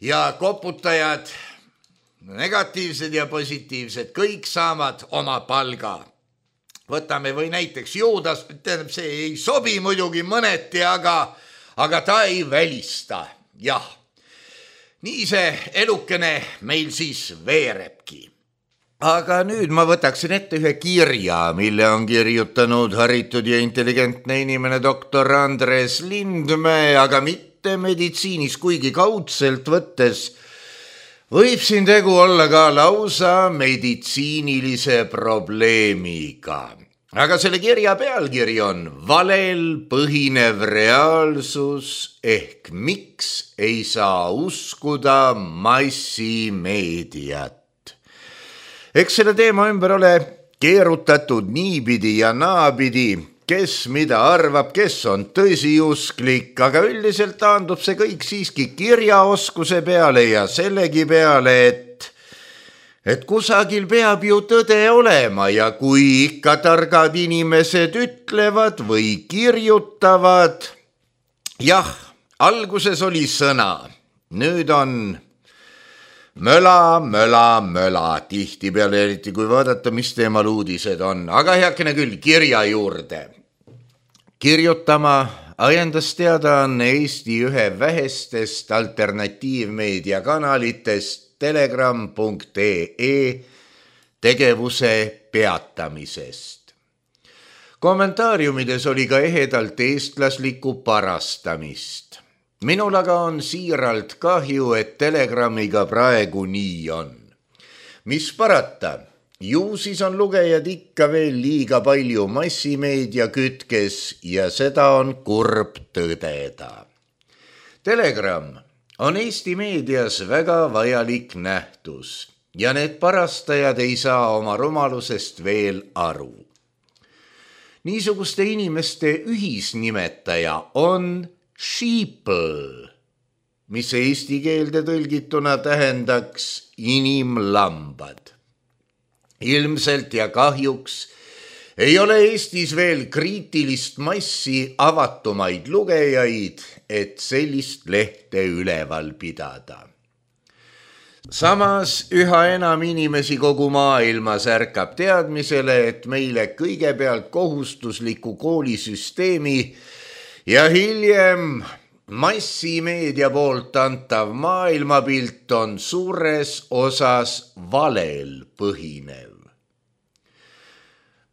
ja koputajad, negatiivsed ja positiivsed, kõik saavad oma palga. Võtame või näiteks Juudas, see ei sobi muidugi mõneti, aga, aga ta ei välista, jah. Nii see elukene meil siis veerebki. Aga nüüd ma võtaksin ette ühe kirja, mille on kirjutanud haritud ja intelligentne inimene doktor Andres Lindmäe, aga mitte meditsiinis, kuigi kaudselt võttes Võib siin tegu olla ka lausa meditsiinilise probleemiga. Aga selle kirja pealkiri on valel põhinev reaalsus ehk miks ei saa uskuda massimeediat. Eks selle teema ümber ole keerutatud niipidi ja naapidi, kes mida arvab, kes on tõsiusklik, aga üldiselt taandub see kõik siiski kirjaoskuse peale ja sellegi peale, et, et kusagil peab ju tõde olema ja kui ikka targad inimesed ütlevad või kirjutavad, jah, alguses oli sõna, nüüd on möla, möla, möla, tihti peale, eriti kui vaadata, mis teemal uudised on, aga heakene küll kirja juurde. Kirjutama ajendas teada on Eesti ühe vähestest alternatiivmeedia kanalitest telegram punkt ee tegevuse peatamisest. Kommentaariumides oli ka ehedalt eestlaslikku parastamist. Minul aga on siiralt kahju, et Telegramiga praegu nii on. Mis parata, ju siis on lugejad ikka veel liiga palju massimeedia kütkes ja seda on kurb tõdeda. Telegram on Eesti meedias väga vajalik nähtus ja need parastajad ei saa oma rumalusest veel aru. Niisuguste inimeste ühisnimetaja on sheeple, mis eesti keelde tõlgituna tähendaks inimlambad. Ilmselt ja kahjuks ei ole Eestis veel kriitilist massi avatumaid lugejaid, et sellist lehte üleval pidada. Samas üha enam inimesi kogu maailmas ärkab teadmisele, et meile kõigepealt kohustusliku koolisüsteemi ja hiljem massimeedia poolt antav maailmapilt on suures osas valel põhinev.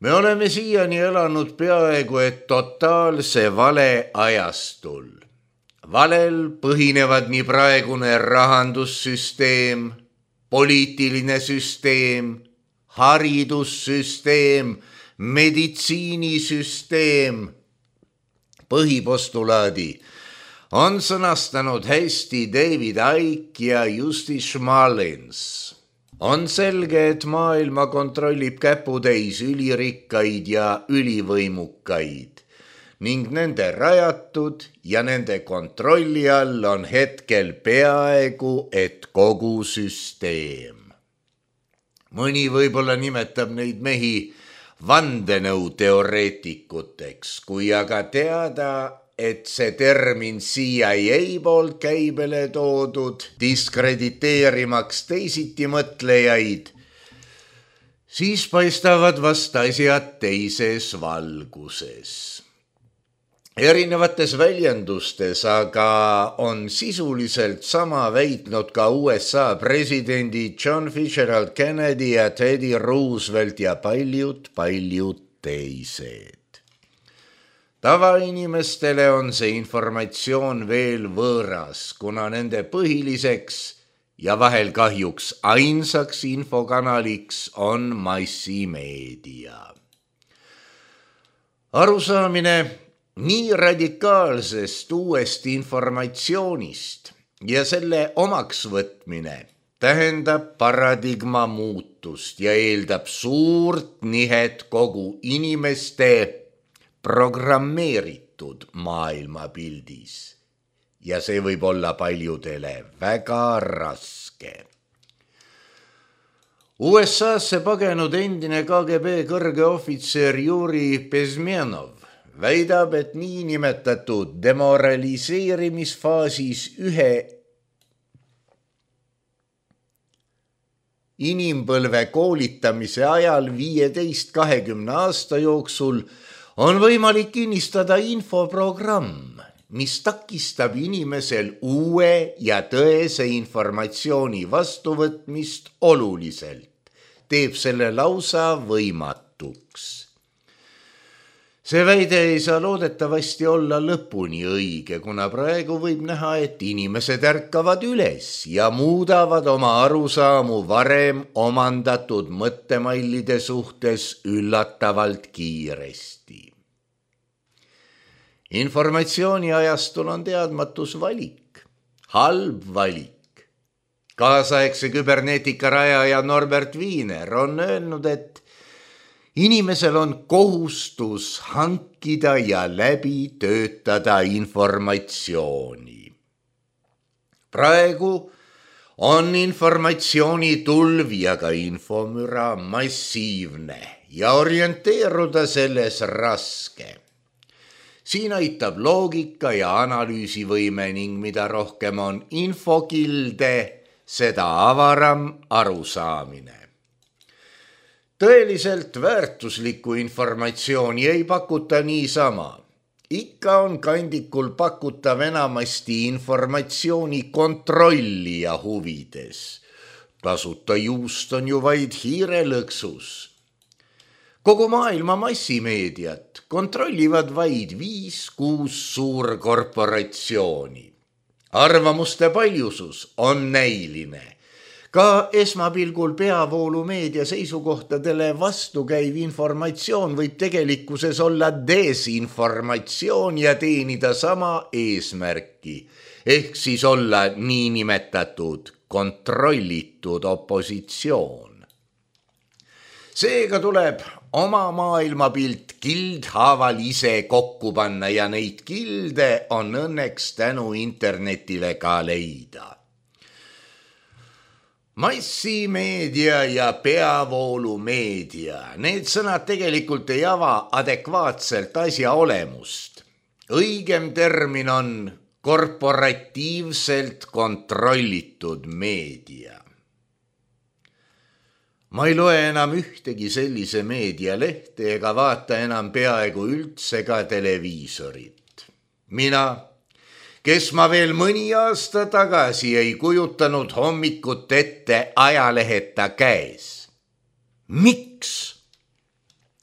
Me oleme siiani elanud peaaegu et totaalse vale ajastul. Valel põhinevad nii praegune rahandussüsteem, poliitiline süsteem, haridussüsteem, meditsiinisüsteem. Põhipostulaadi on sõnastanud hästi David Icke ja Jussi Schmalins. On selge, et maailma kontrollib käputäis ülirikkaid ja ülivõimukaid ning nende rajatud ja nende kontrolli all on hetkel peaaegu et kogu süsteem. Mõni võib-olla nimetab neid mehi vandenõuteoreetikuteks, kui aga teada, et see termin C I A poolt käibele toodud, diskrediteerimaks teisiti mõtlejaid, siis paistavad vast asjad teises valguses. Erinevates väljendustes aga on sisuliselt sama väitnud ka U S A presidendid John Fitzgerald Kennedy ja Teddy Roosevelt ja paljud, paljud teised. Tavainimestele on see informatsioon veel võõras, kuna nende põhiliseks ja vahel kahjuks ainsaks infokanaliks on massimeedia. Arusaamine nii radikaalsest uuest informatsioonist ja selle omaks võtmine tähendab paradigma muutust ja eeldab suurt nihet kogu inimeste programmeeritud maailmapildis. Ja see võib olla paljudele väga raske. U S A-sse pagenud endine K G B kõrge ohvitser Juri Bezmenov väidab, et niinimetatud demoraliseerimisfaasis ühe inimpõlve koolitamise ajal viieteist kahekümne aasta jooksul on võimalik kinnistada infoprogramm, mis takistab inimesel uue ja tõese informatsiooni vastuvõtmist oluliselt, teeb selle lausa võimatuks. See väide ei saa loodetavasti olla lõpuni õige, kuna praegu võib näha, et inimesed ärkavad üles ja muudavad oma arusaamu varem omandatud mõttemallide suhtes üllatavalt kiiresti. Informatsiooni ajastul on teadmatus valik, halb valik. Kaasaegse küberneetika rajaja Norbert Wiener on öelnud, et inimesel on kohustus hankida ja läbi töötada informatsiooni. Praegu on informatsiooni tulv ja ka infomüra massiivne ja orienteeruda selles raske. Siin aitab loogika ja analüüsivõime ning mida rohkem on infokilde, seda avaram arusaamine. Tõeliselt väärtuslikku informatsiooni ei pakuta niisama. Ikka on kandikul pakutav enamasti informatsiooni kontrollija huvides. Tasuta juust on ju vaid hiirelõksus. Kogu maailma massimeediat kontrollivad vaid viis kuus suurkorporatsiooni. Arvamuste paljusus on näiline. Ka esmapilgul peavoolumeedia seisukohtadele vastukäiv informatsioon võib tegelikkuses olla desinformatsioon ja teenida sama eesmärki, ehk siis olla niinimetatud kontrollitud opositsioon. Seega tuleb oma maailmapilt kildhaaval ise kokku panna ja neid kilde on õnneks tänu internetile ka leida. Massimeedia ja peavoolumeedia, need sõnad tegelikult ei ava adekvaatselt asja olemust. Õigem termin on korporatiivselt kontrollitud meedia. Ma ei loe enam ühtegi sellise meedialehte ega vaata enam peaaegu üldse ka televiisorit. Mina, kes ma veel mõni aasta tagasi ei kujutanud hommikut ette ajaleheta käes. Miks?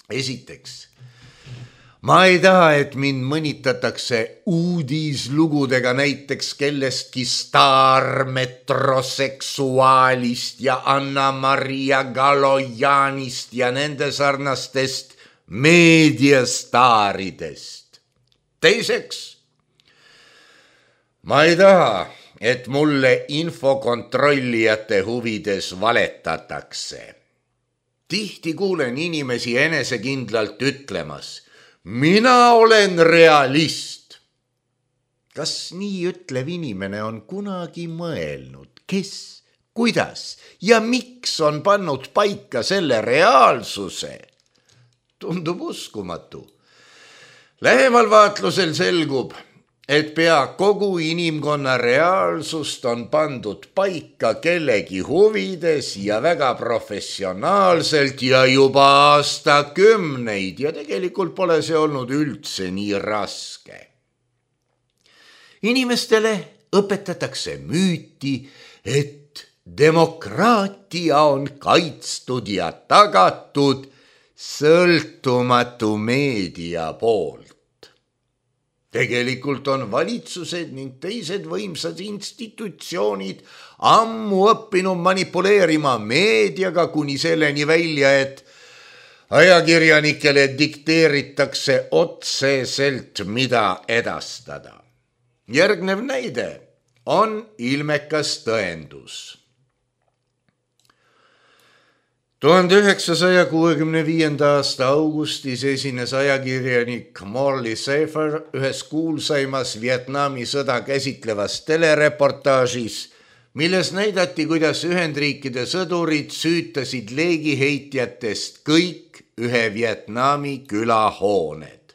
Esiteks, ma ei taha, et mind mõnitatakse uudislugudega näiteks kellestki staarmetroseksuaalist ja Anna-Maria Galojanist ja nende sarnastest meediastaaridest. Teiseks, ma ei taha, et mulle infokontrollijate huvides valetatakse. Tihti kuulen inimesi enesekindlalt ütlemas, mina olen realist. Kas nii ütlev inimene on kunagi mõelnud, kes, kuidas ja miks on pannud paika selle reaalsuse? Tundub uskumatu. Lähemal vaatlusel selgub, et pea kogu inimkonna reaalsust on pandud paika kellegi huvides ja väga professionaalselt ja juba aastakümneid ja tegelikult pole see olnud üldse nii raske. Inimestele õpetatakse müüti, et demokraatia on kaitstud ja tagatud sõltumatu meedia poolt. Tegelikult on valitsused ning teised võimsad institutsioonid ammu õppinud manipuleerima meediaga kuni selleni välja, et ajakirjanikele dikteeritakse otseselt, mida edastada. Järgnev näide on ilmekas tõendus. tuhande üheksasaja kuuekümne viienda aasta augustis esines ajakirjanik Morley Safer ühes kuulsaimas Vietnami sõda käsitlevas telereportaažis, milles näidati, kuidas Ühendriikide sõdurid süütasid leegiheitjatest kõik ühe Vietnami külahooned.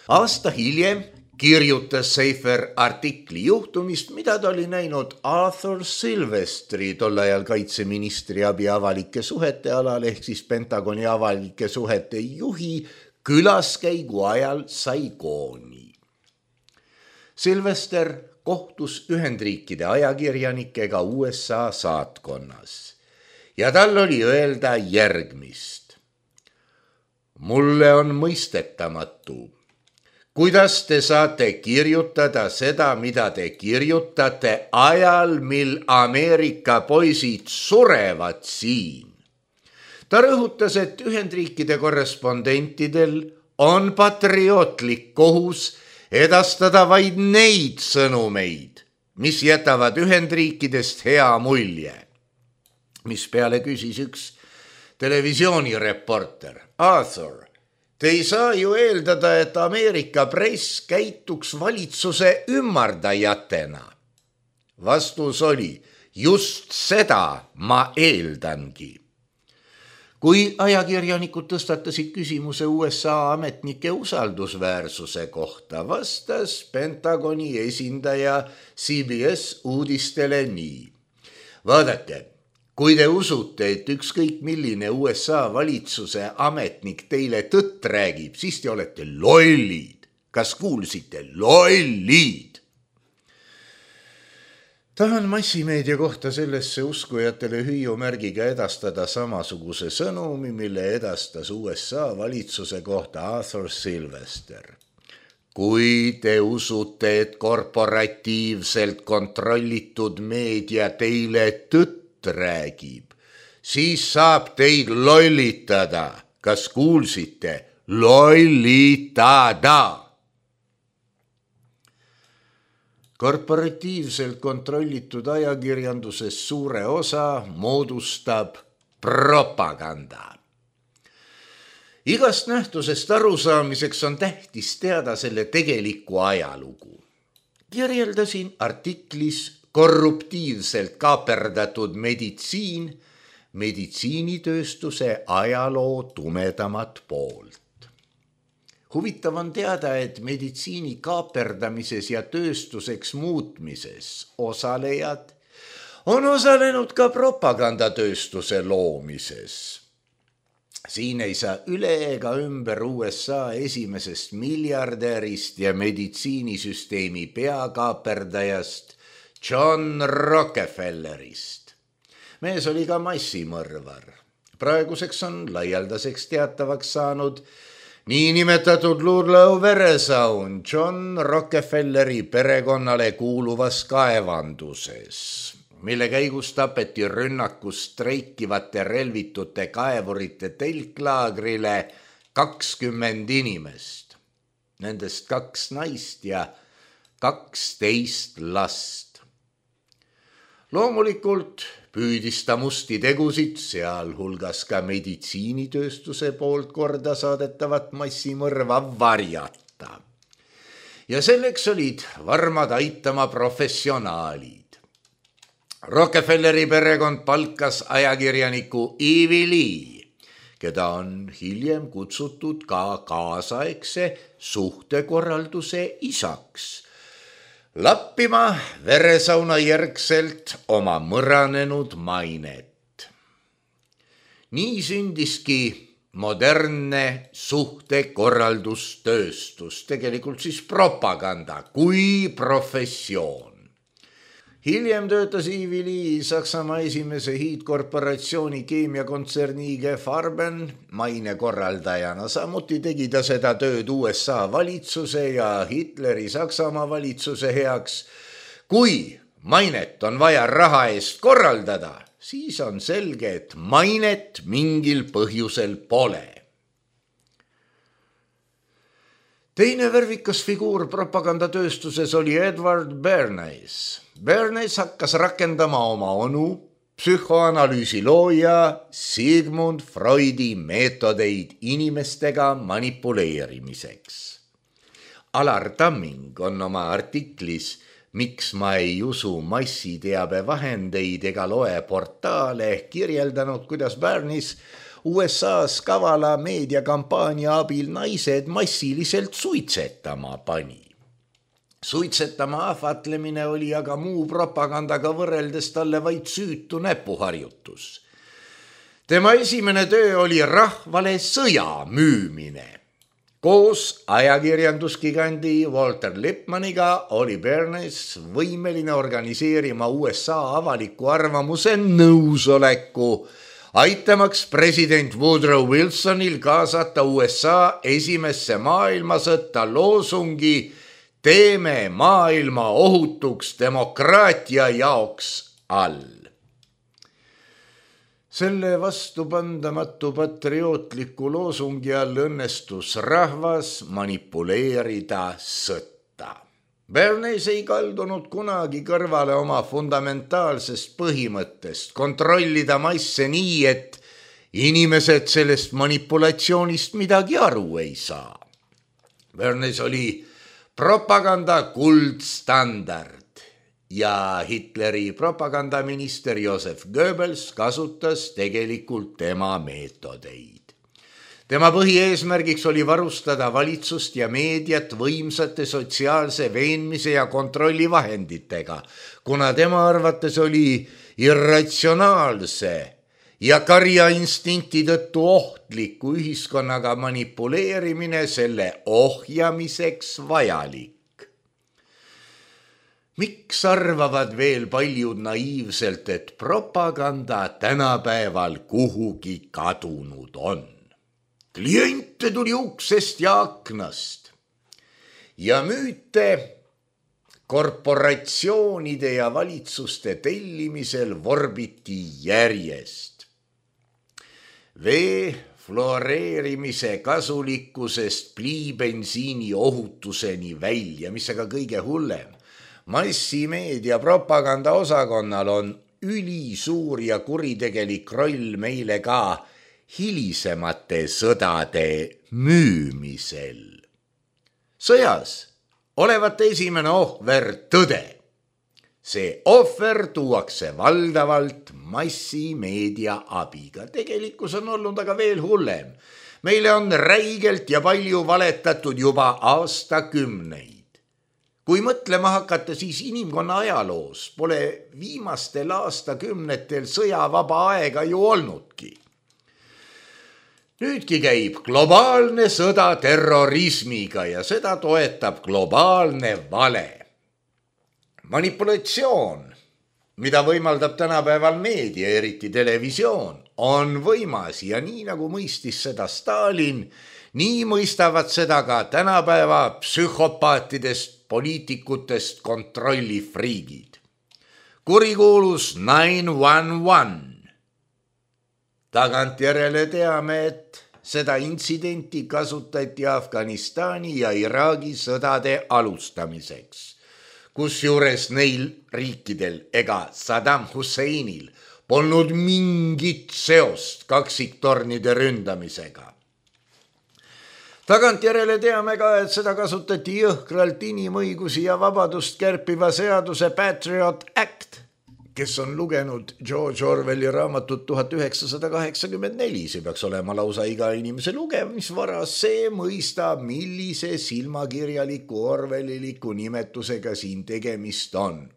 Aasta hiljem kirjutas Safer artikli juhtumist, mida ta oli näinud Arthur Silvestri, tol ajal kaitseministri abi avalike suhete alal ehk siis Pentagoni avalike suhete juhi külaskäigu ajal Saigoni. Silvester kohtus Ühendriikide ajakirjanikega U S A saatkonnas ja tal oli öelda järgmist. mulle on mõistetamatu, kuidas te saate kirjutada seda, mida te kirjutate ajal, mil Ameerika poisid surevad siin. Ta rõhutas, et Ühendriikide korrespondentidel on patriootlik kohus edastada vaid neid sõnumeid, mis jätavad Ühendriikidest hea mulje. Mispeale küsis üks televisioonireporter: Arthur, te ei saa ju eeldada, et Ameerika press käituks valitsuse ümmardajatena. Vastus oli: just seda ma eeldangi. Kui ajakirjanikud tõstatasid küsimuse U S A ametnike usaldusväärsuse kohta, vastas Pentagoni esindaja C B S uudistele nii: vaadake, kui te usute, et ükskõik milline U S A valitsuse ametnik teile tõtt räägib, siis te olete lollid. Kas kuulsite? Lollid! Tahan massimeedia kohta sellesse uskujatele hüüumärgiga edastada samasuguse sõnumi, mille edastas U S A valitsuse kohta Arthur Sylvester. Kui te usute, et korporatiivselt kontrollitud meedia teile tõtt räägib, siis saab teid lollitada. Kas kuulsite? Lollitada! Korporatiivselt kontrollitud ajakirjanduses suure osa moodustab propaganda. Igast nähtusest arusaamiseks on tähtis teada selle tegelikku ajalugu. Kirjeldasin artiklis korruptiivselt kaaperdatud meditsiin, meditsiinitööstuse ajaloo tumedamat poolt. Huvitav on teada, et meditsiini kaaperdamises ja tööstuseks muutmises osalejad on osalenud ka propagandatööstuse loomises. Siin ei saa üle ega ümber U S A esimesest miljardärist ja meditsiinisüsteemi peakaaperdajast John Rockefellerist. Mees oli ka massimõrvar. Praeguseks on laialdaseks teatavaks saanud niinimetatud Ludlow veresaun John Rockefelleri perekonnale kuuluvas kaevanduses, mille käigus tapeti rünnakus streikivate relvitute kaevurite telklaagrile kakskümmend inimest, nendest kaks naist ja kaksteist last. Loomulikult püüdis ta musti tegusid, sealhulgas ka meditsiinitööstuse poolt korda saadetavat massimõrva varjata. Ja selleks olid varmad aitama professionaalid. Rockefelleri perekond palkas ajakirjaniku Ivy Lee, keda on hiljem kutsutud ka kaasaegse suhtekorralduse isaks, lappima veresauna järgselt oma mõranenud mainet. Nii sündiski modernne suhtekorraldustööstus, tegelikult siis propaganda kui professioon. Hiljem töötas Ivy Lee Saksamaa esimese hiidkorporatsiooni keemiakontserni G. Farben mainekorraldajana. Samuti tegi ta seda tööd U S A valitsuse ja Hitleri Saksamaa valitsuse heaks. Kui mainet on vaja raha eest korraldada, siis on selge, et mainet mingil põhjusel pole. Teine värvikas figuur propagandatööstuses oli Edward Bernays. Bernays hakkas rakendama oma onu, psühhoanalüüsi looja Sigmund Freudi meetodeid inimestega manipuleerimiseks. Alar Tamming on oma artiklis Miks ma ei usu massiteabevahendeid ega loe portaale kirjeldanud, kuidas Bernays U S A-s kavala meediakampaania abil naised massiliselt suitsetama pani. Suitsetama ahvatlemine oli aga muu propagandaga võrreldes talle vaid süütu näpuharjutus. Tema esimene töö oli rahvale sõja müümine. Koos ajakirjandusgigandi Walter Lippmanniga oli Bernays võimeline organiseerima U S A avaliku arvamuse nõusoleku aitamaks president Woodrow Wilsonil kaasata U S A esimesse maailmasõtta loosungi teeme maailma ohutuks demokraatia jaoks all. Selle vastupandamatu patriootliku loosungi all õnnestus rahvas manipuleerida sõtta. Bernays ei kaldunud kunagi kõrvale oma fundamentaalsest põhimõttest kontrollida masse nii, et inimesed sellest manipulatsioonist midagi aru ei saa. Bernays oli propaganda kuldstandard. Ja Hitleri propagandaminister Joseph Goebbels kasutas tegelikult tema meetodeid. Tema põhieesmärgiks oli varustada valitsust ja meediat võimsate sotsiaalse veenmise ja kontrolli vahenditega, kuna tema arvates oli irratsionaalse ja karjainstinkti tõttu ohtliku ühiskonnaga manipuleerimine selle ohjamiseks vajalik. Miks arvavad veel paljud naiivselt, et propaganda tänapäeval kuhugi kadunud on? Kliente tuli uksest ja aknast ja müüte korporatsioonide ja valitsuste tellimisel vorbiti järjest. Vee fluoreerimise kasulikkusest pliibensiini ohutuseni välja, mis aga kõige hullem. Massimeedia propaganda osakonnal on ülisuur ja kuritegelik roll meile ka hilisemate sõdade müümisel. Sõjas olevat esimene ohver tõde. See ohver tuuakse valdavalt massimeedia abiga. Tegelikkus on olnud aga veel hullem. Meile on räigelt ja palju valetatud juba aastakümneid. Kui mõtlema hakata, siis inimkonna ajaloos pole viimastel aastakümnetel sõjavaba aega ju olnudki. Nüüdki käib globaalne sõda terrorismiga ja seda toetab globaalne vale. Manipulatsioon, mida võimaldab tänapäeval meedia, eriti televisioon, on võimas ja nii nagu mõistis seda Stalin, nii mõistavad seda ka tänapäeva psühhopaatidest poliitikutest kontrollifriigid. Kurikuulus nine one one. Tagantjärele teame, et seda intsidenti kasutati Afganistani ja Iraagi sõdade alustamiseks, kusjuures neil riikidel ega Saddam Husseinil polnud mingit seost kaksiktornide ründamisega. Tagantjärele teame ka, et seda kasutati jõhkralt inimõigusi ja vabadust kärpiva seaduse Patriot Act, kes on lugenud George Orwelli raamatut tuhat üheksasada kaheksakümmend neli. See peaks olema lausa iga inimese lugemisvara. See mõistab, millise silmakirjaliku orwelliliku nimetusega siin tegemist on.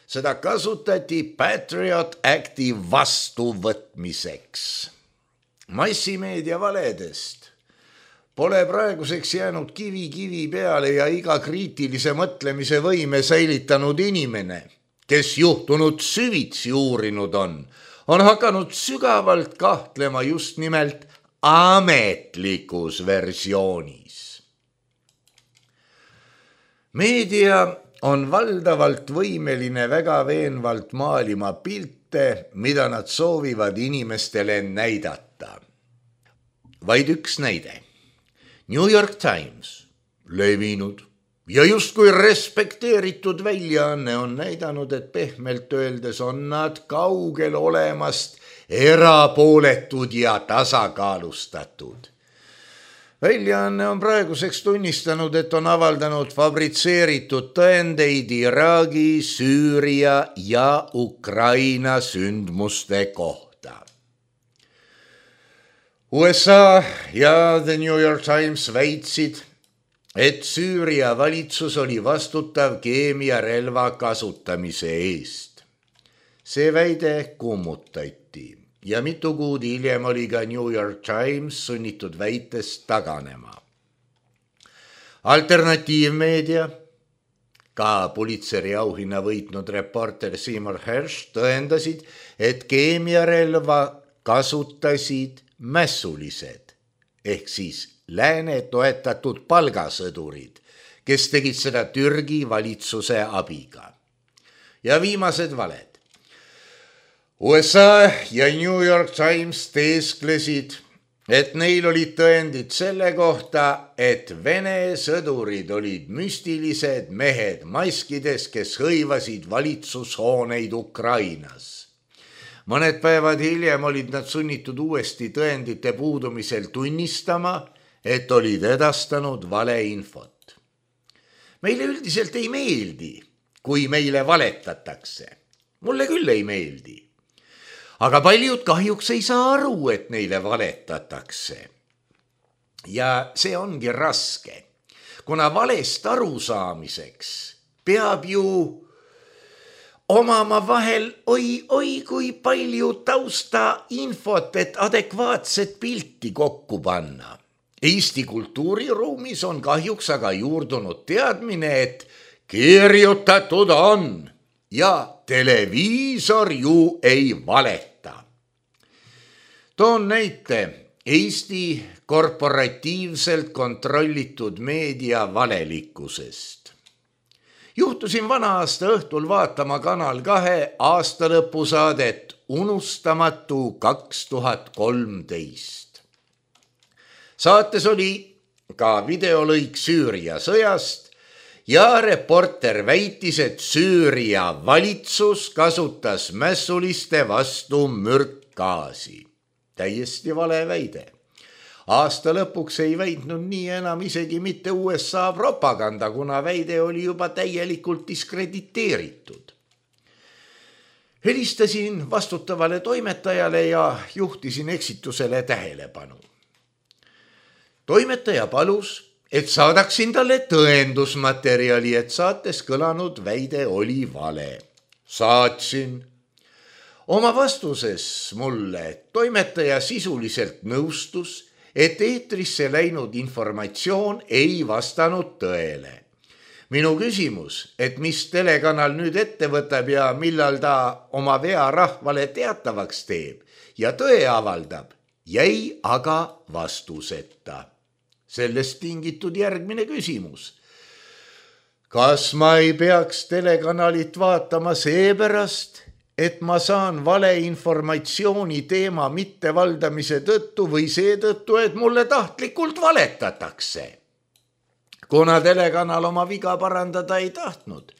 Seda kasutati Patriot Acti vastuvõtmiseks. Massimeedia valedest pole praeguseks jäänud kivi kivi peale ja iga kriitilise mõtlemise võime säilitanud inimene, kes juhtunud süvitsi uurinud on, on hakanud sügavalt kahtlema just nimelt ametlikus versioonis. Meedia on valdavalt võimeline väga veenvalt maalima pilte, mida nad soovivad inimestele näidata. Vaid üks näide. New York Times, levinud ja justkui respekteeritud väljaanne on näidanud, et pehmelt öeldes on nad kaugel olemast erapooletud ja tasakaalustatud. Väljaanne on praeguseks tunnistanud, et on avaldanud fabritseeritud tõendeid Iraagi, Süüria ja Ukraina sündmuste kohta. U S A ja The New York Times väitsid, et Süüria valitsus oli vastutav keemiarelva kasutamise eest. See väide kummutati ja mitu kuud hiljem oli ka New York Times sunnitud väitest taganema. Alternatiivmeedia, ka Pulitzeri auhinna võitnud reporter Seymour Hersh tõendasid, et keemiarelva kasutasid mässulised ehk siis lääne toetatud palgasõdurid, kes tegid seda Türgi valitsuse abiga. Ja viimased valed. U S A ja New York Times teesklesid, et neil olid tõendid selle kohta, et Vene sõdurid olid müstilised mehed maskides, kes hõivasid valitsushooneid Ukrainas. Mõned päevad hiljem olid nad sunnitud uuesti tõendite puudumisel tunnistama, et olid edastanud valeinfot. Meile üldiselt ei meeldi, kui meile valetatakse. Mulle küll ei meeldi. Aga paljud kahjuks ei saa aru, et neile valetatakse. Ja see ongi raske, kuna valest arusaamiseks peab ju omama vahel oi, oi kui palju tausta infot, et adekvaatset pilti kokku panna. Eesti kultuuriruumis on kahjuks aga juurdunud teadmine, et kirjutatud on ja televiisor ju ei valeta. Toon näite Eesti korporatiivselt kontrollitud meedia valelikkusest. Juhtusin vana aasta õhtul vaatama Kanal kahe aastalõpusaadet Unustamatu kaks tuhat kolmteist. Saates oli ka videolõik Süüria sõjast ja reporter väitis, et Süüria valitsus kasutas mässuliste vastu mürkgaasi. Täiesti vale väide. Aasta lõpuks ei väitnud nii enam isegi mitte U S A propaganda, kuna väide oli juba täielikult diskrediteeritud. Helistasin vastutavale toimetajale ja juhtisin eksitusele tähelepanu. Toimetaja palus, et saadaksin talle tõendusmaterjali, et saates kõlanud väide oli vale. Saatsin. Oma vastuses mulle toimetaja sisuliselt nõustus, et eetrisse läinud informatsioon ei vastanud tõele. Minu küsimus, et mis telekanal nüüd ette võtab ja millal ta oma vea rahvale teatavaks teeb ja tõe avaldab, jäi aga vastuseta. Sellest tingitud järgmine küsimus. Kas ma ei peaks telekanalit vaatama seepärast, et ma saan valeinformatsiooni teema mittevaldamise tõttu või seetõttu, et mulle tahtlikult valetatakse? Kuna telekanal oma viga parandada ei tahtnud,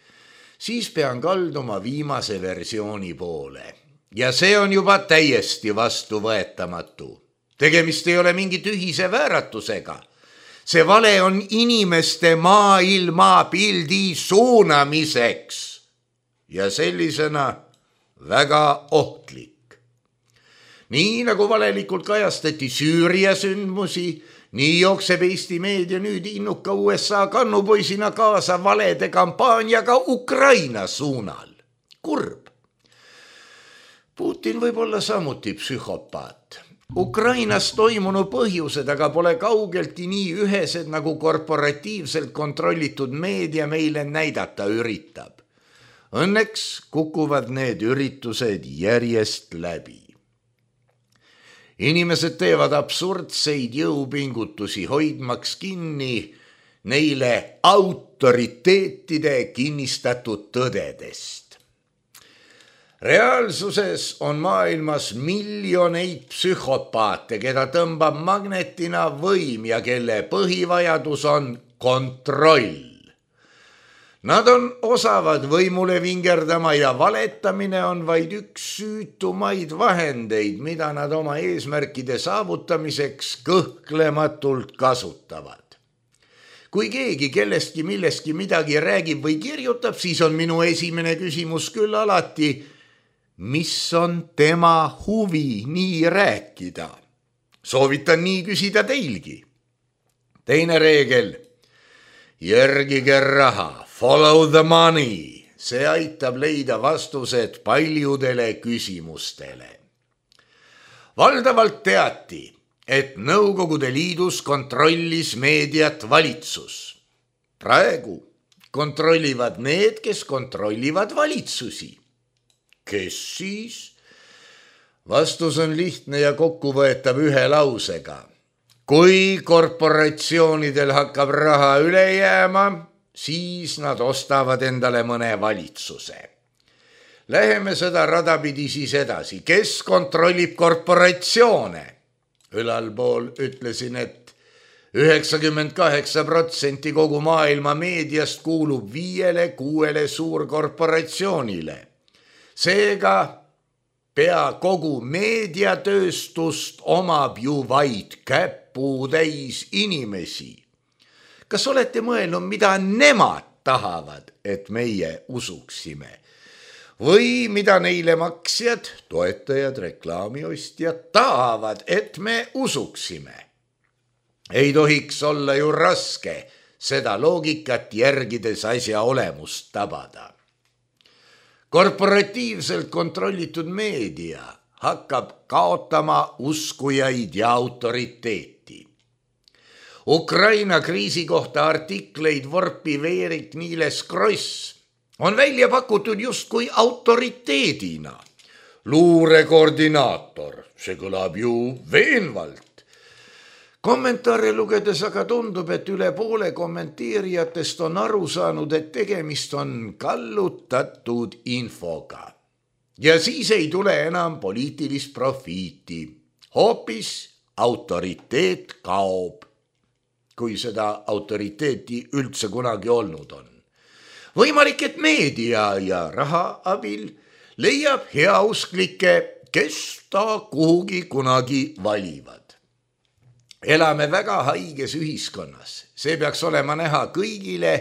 siis pean kalduma viimase versiooni poole. Ja see on juba täiesti vastuvõetamatu. Tegemist ei ole mingi tühise vääratusega. See vale on inimeste maailma pildi suunamiseks ja sellisena väga ohtlik. Nii nagu valelikult kajastati Süüria sündmusi, nii jookseb Eesti meedia nüüd innuka U S A kannupoisina kaasa valede kampaaniaga Ukraina suunal. Kurb. Putin võib olla samuti psühhopaat. Ukrainas toimunu põhjused aga pole kaugeltki nii ühesed, nagu korporatiivselt kontrollitud meedia meile näidata üritab. Õnneks kukuvad need üritused järjest läbi. Inimesed teevad absurdseid jõupingutusi hoidmaks kinni neile autoriteetide kinnistatud tõdedest. Reaalsuses on maailmas miljoneid psühhopaate, keda tõmbab magnetina võim ja kelle põhivajadus on kontroll. Nad on osavad võimule vingerdama ja valetamine on vaid üks süütumaid vahendeid, mida nad oma eesmärkide saavutamiseks kõhklematult kasutavad. Kui keegi kellestki millestki midagi räägib või kirjutab, siis on minu esimene küsimus küll alati, mis on tema huvi nii rääkida? Soovitan nii küsida teilgi. Teine reegel, järgige raha, follow the money. See aitab leida vastused paljudele küsimustele. Valdavalt teati, et Nõukogude Liidus kontrollis meediat valitsus. Praegu kontrollivad need, kes kontrollivad valitsusi. Kes siis? Vastus on lihtne ja kokkuvõetav ühe lausega. Kui korporatsioonidel hakkab raha üle jääma, siis nad ostavad endale mõne valitsuse. Läheme seda radapidi siis edasi. Kes kontrollib korporatsioone? Ülalpool ütlesin, et üheksakümmend kaheksa protsenti kogu maailma meediast kuulub viiele kuuele suurkorporatsioonile. Seega pea kogu meediatööstust omab ju vaid käputäis inimesi. Kas olete mõelnud, mida nemad tahavad, et meie usuksime? Või mida neile maksjad, toetajad, reklaamiostjad tahavad, et me usuksime? Ei tohiks olla ju raske seda loogikat järgides asja olemust tabada. Korporatiivselt kontrollitud meedia hakkab kaotama uskujaid ja autoriteeti. Ukraina kriisi kohta artikleid vorpiv Erik Niiles Kross on välja pakutud justkui autoriteedina. Luurekoordinaator, see kõlab ju veenvalt. Kommentaare lugedes aga tundub, et üle poole kommenteerijatest on aru saanud, et tegemist on kallutatud infoga. Ja siis ei tule enam poliitilist profiiti. Hoopis autoriteet kaob, kui seda autoriteeti üldse kunagi olnud on. Võimalik, et meedia ja raha abil leiab heausklikke, kes ta kuhugi kunagi valivad. Elame väga haiges ühiskonnas. See peaks olema näha kõigile,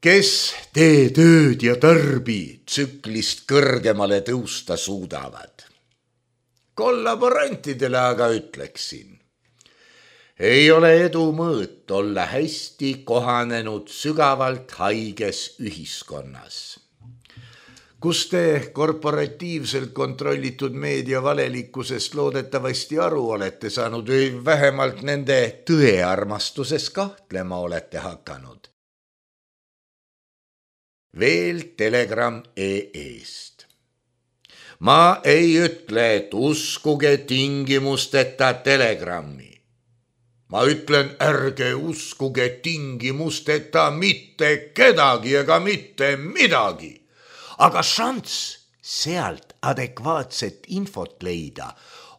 kes tee tööd ja tarbi tsüklist kõrgemale tõusta suudavad. Kollaborantidele aga ütleksin, ei ole edu mõõt olla hästi kohanenud sügavalt haiges ühiskonnas. Kus te korporatiivselt kontrollitud meedia valelikkusest loodetavasti aru olete saanud või vähemalt nende tõearmastuses kahtlema olete hakanud? Veel Telegram E-st. Ma ei ütle, et uskuge tingimusteta Telegrami. Ma ütlen, ärge uskuge tingimusteta mitte kedagi ega mitte midagi. Aga šants sealt adekvaatset infot leida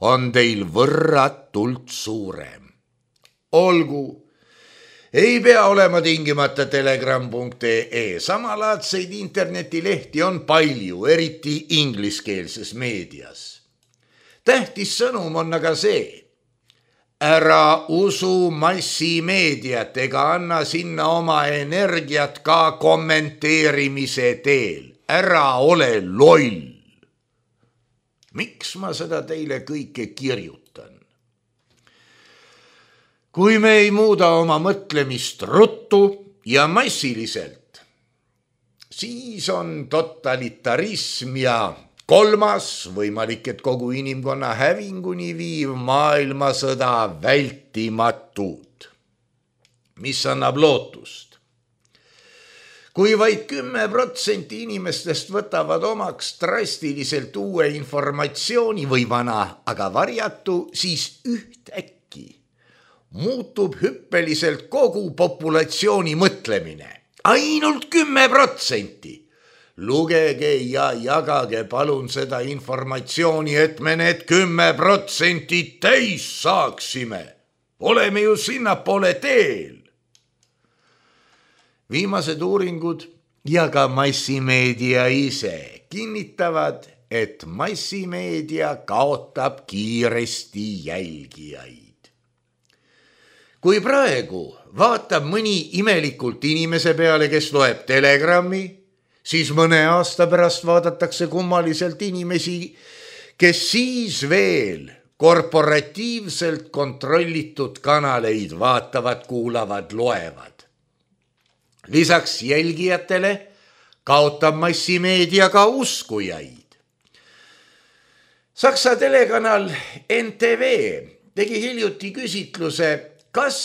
on teil võrratult suurem. Olgu, ei pea olema tingimata telegram punkt ee. Samalaadseid internetilehti on palju, eriti ingliskeelses meedias. Tähtis sõnum on aga see. Ära usu massimeediat ega anna sinna oma energiat ka kommenteerimise teel. Ära ole loll. Miks ma seda teile kõike kirjutan? Kui me ei muuda oma mõtlemist ruttu ja massiliselt, siis on totalitarism ja kolmas, võimalik, et kogu inimkonna hävinguni viiv maailmasõda vältimatud, mis annab lootust. Kui vaid kümme protsenti inimestest võtavad omaks drastiliselt uue informatsiooni või vana, aga varjatu, siis ühtäkki muutub hüppeliselt kogu populatsiooni mõtlemine. Ainult kümme protsenti. Lugege ja jagage palun seda informatsiooni, et me need kümme protsenti täis saaksime. Oleme ju sinnapoole teel. Viimased uuringud ja ka massimeedia ise kinnitavad, et massimeedia kaotab kiiresti jälgijaid. Kui praegu vaatab mõni imelikult inimese peale, kes loeb Telegrami, siis mõne aasta pärast vaadatakse kummaliselt inimesi, kes siis veel korporatiivselt kontrollitud kanaleid vaatavad, kuulavad, loevad. Lisaks jälgijatele kaotab massimeedia ka uskujaid. Saksa telekanal N T V tegi hiljuti küsitluse, kas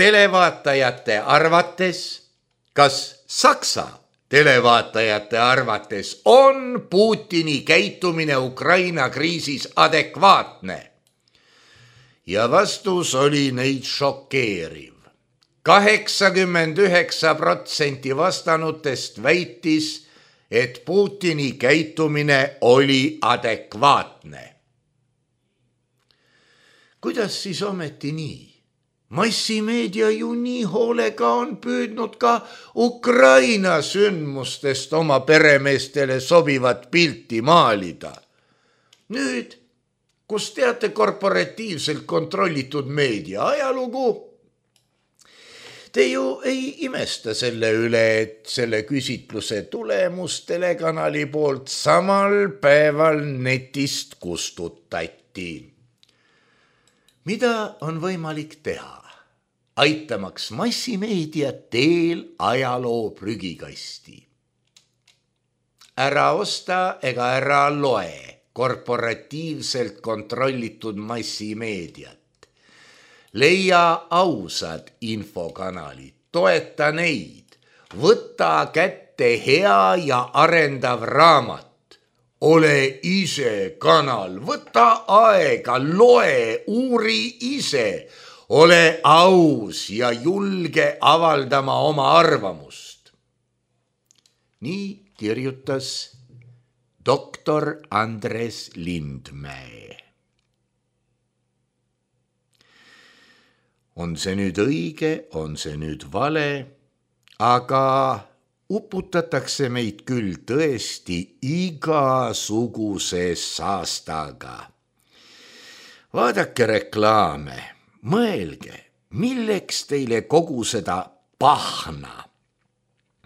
televaatajate arvates, kas Saksa televaatajate arvates on Putini käitumine Ukraina kriisis adekvaatne? Ja vastus oli neid šokeeriv. kaheksakümmend üheksa protsenti vastanutest väitis, et Putini käitumine oli adekvaatne. Kuidas siis ometi nii? Massimeedia ju nii hoolega on püüdnud ka Ukraina sündmustest oma peremeestele sobivat pilti maalida. Nüüd, kus teate korporatiivselt kontrollitud meedia ajalugu, te ju ei imesta selle üle, et selle küsitluse tulemus telekanali poolt samal päeval netist kustutati. Mida on võimalik teha, aitamaks massimeedia teel ajaloo prügikasti? Ära osta ega ära loe korporatiivselt kontrollitud massimeediat. Leia ausad infokanalid, toeta neid, võta kätte hea ja arendav raamat. Ole ise kanal, võta aega, loe, uuri ise, ole aus ja julge avaldama oma arvamust. Nii kirjutas doktor Andres Lindmäe. On see nüüd õige, on see nüüd vale, aga uputatakse meid küll tõesti igasuguse saastaga. Vaadake reklaame, mõelge, milleks teile kogu seda pahna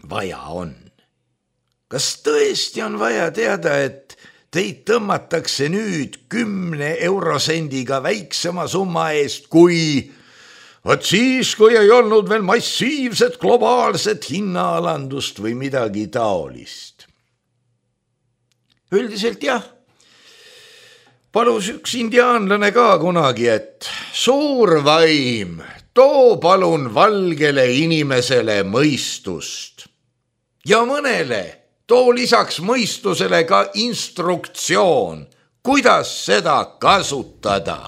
vaja on. Kas tõesti on vaja teada, et teid tõmmatakse nüüd kümne eurosendiga väiksema summa eest, kui Vot siis, kui ei olnud veel massiivset globaalset hinnaalandust või midagi taolist. Üldiselt jah, palus üks indiaanlane ka kunagi, et suur vaim, too palun valgele inimesele mõistust. Ja mõnele too lisaks mõistusele ka instruktsioon, kuidas seda kasutada.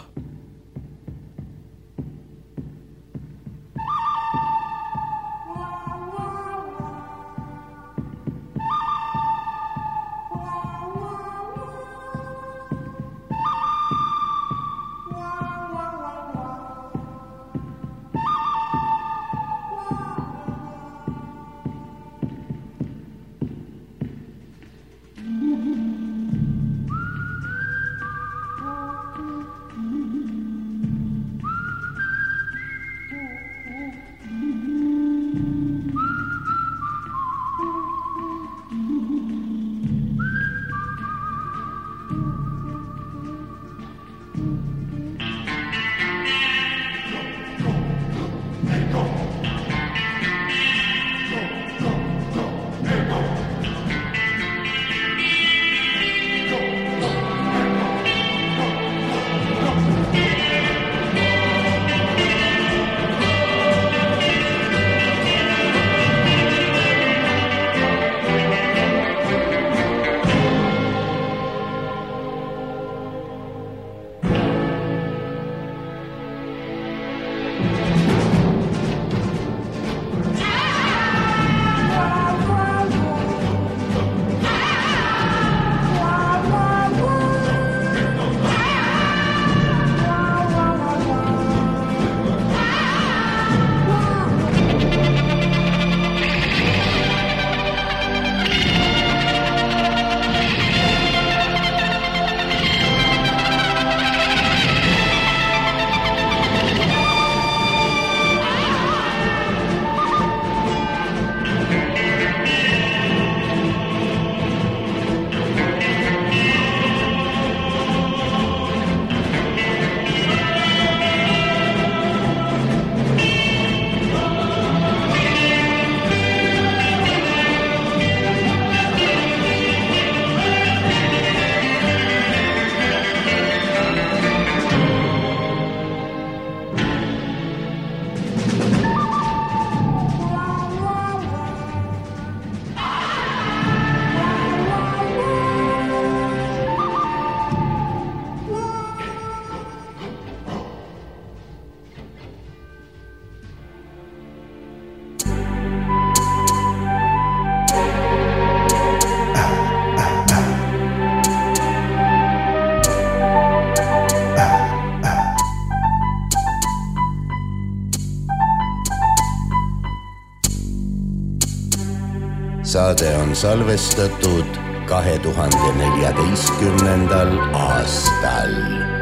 Saade on salvestatud kahe tuhande neljateistkümnendal aastal.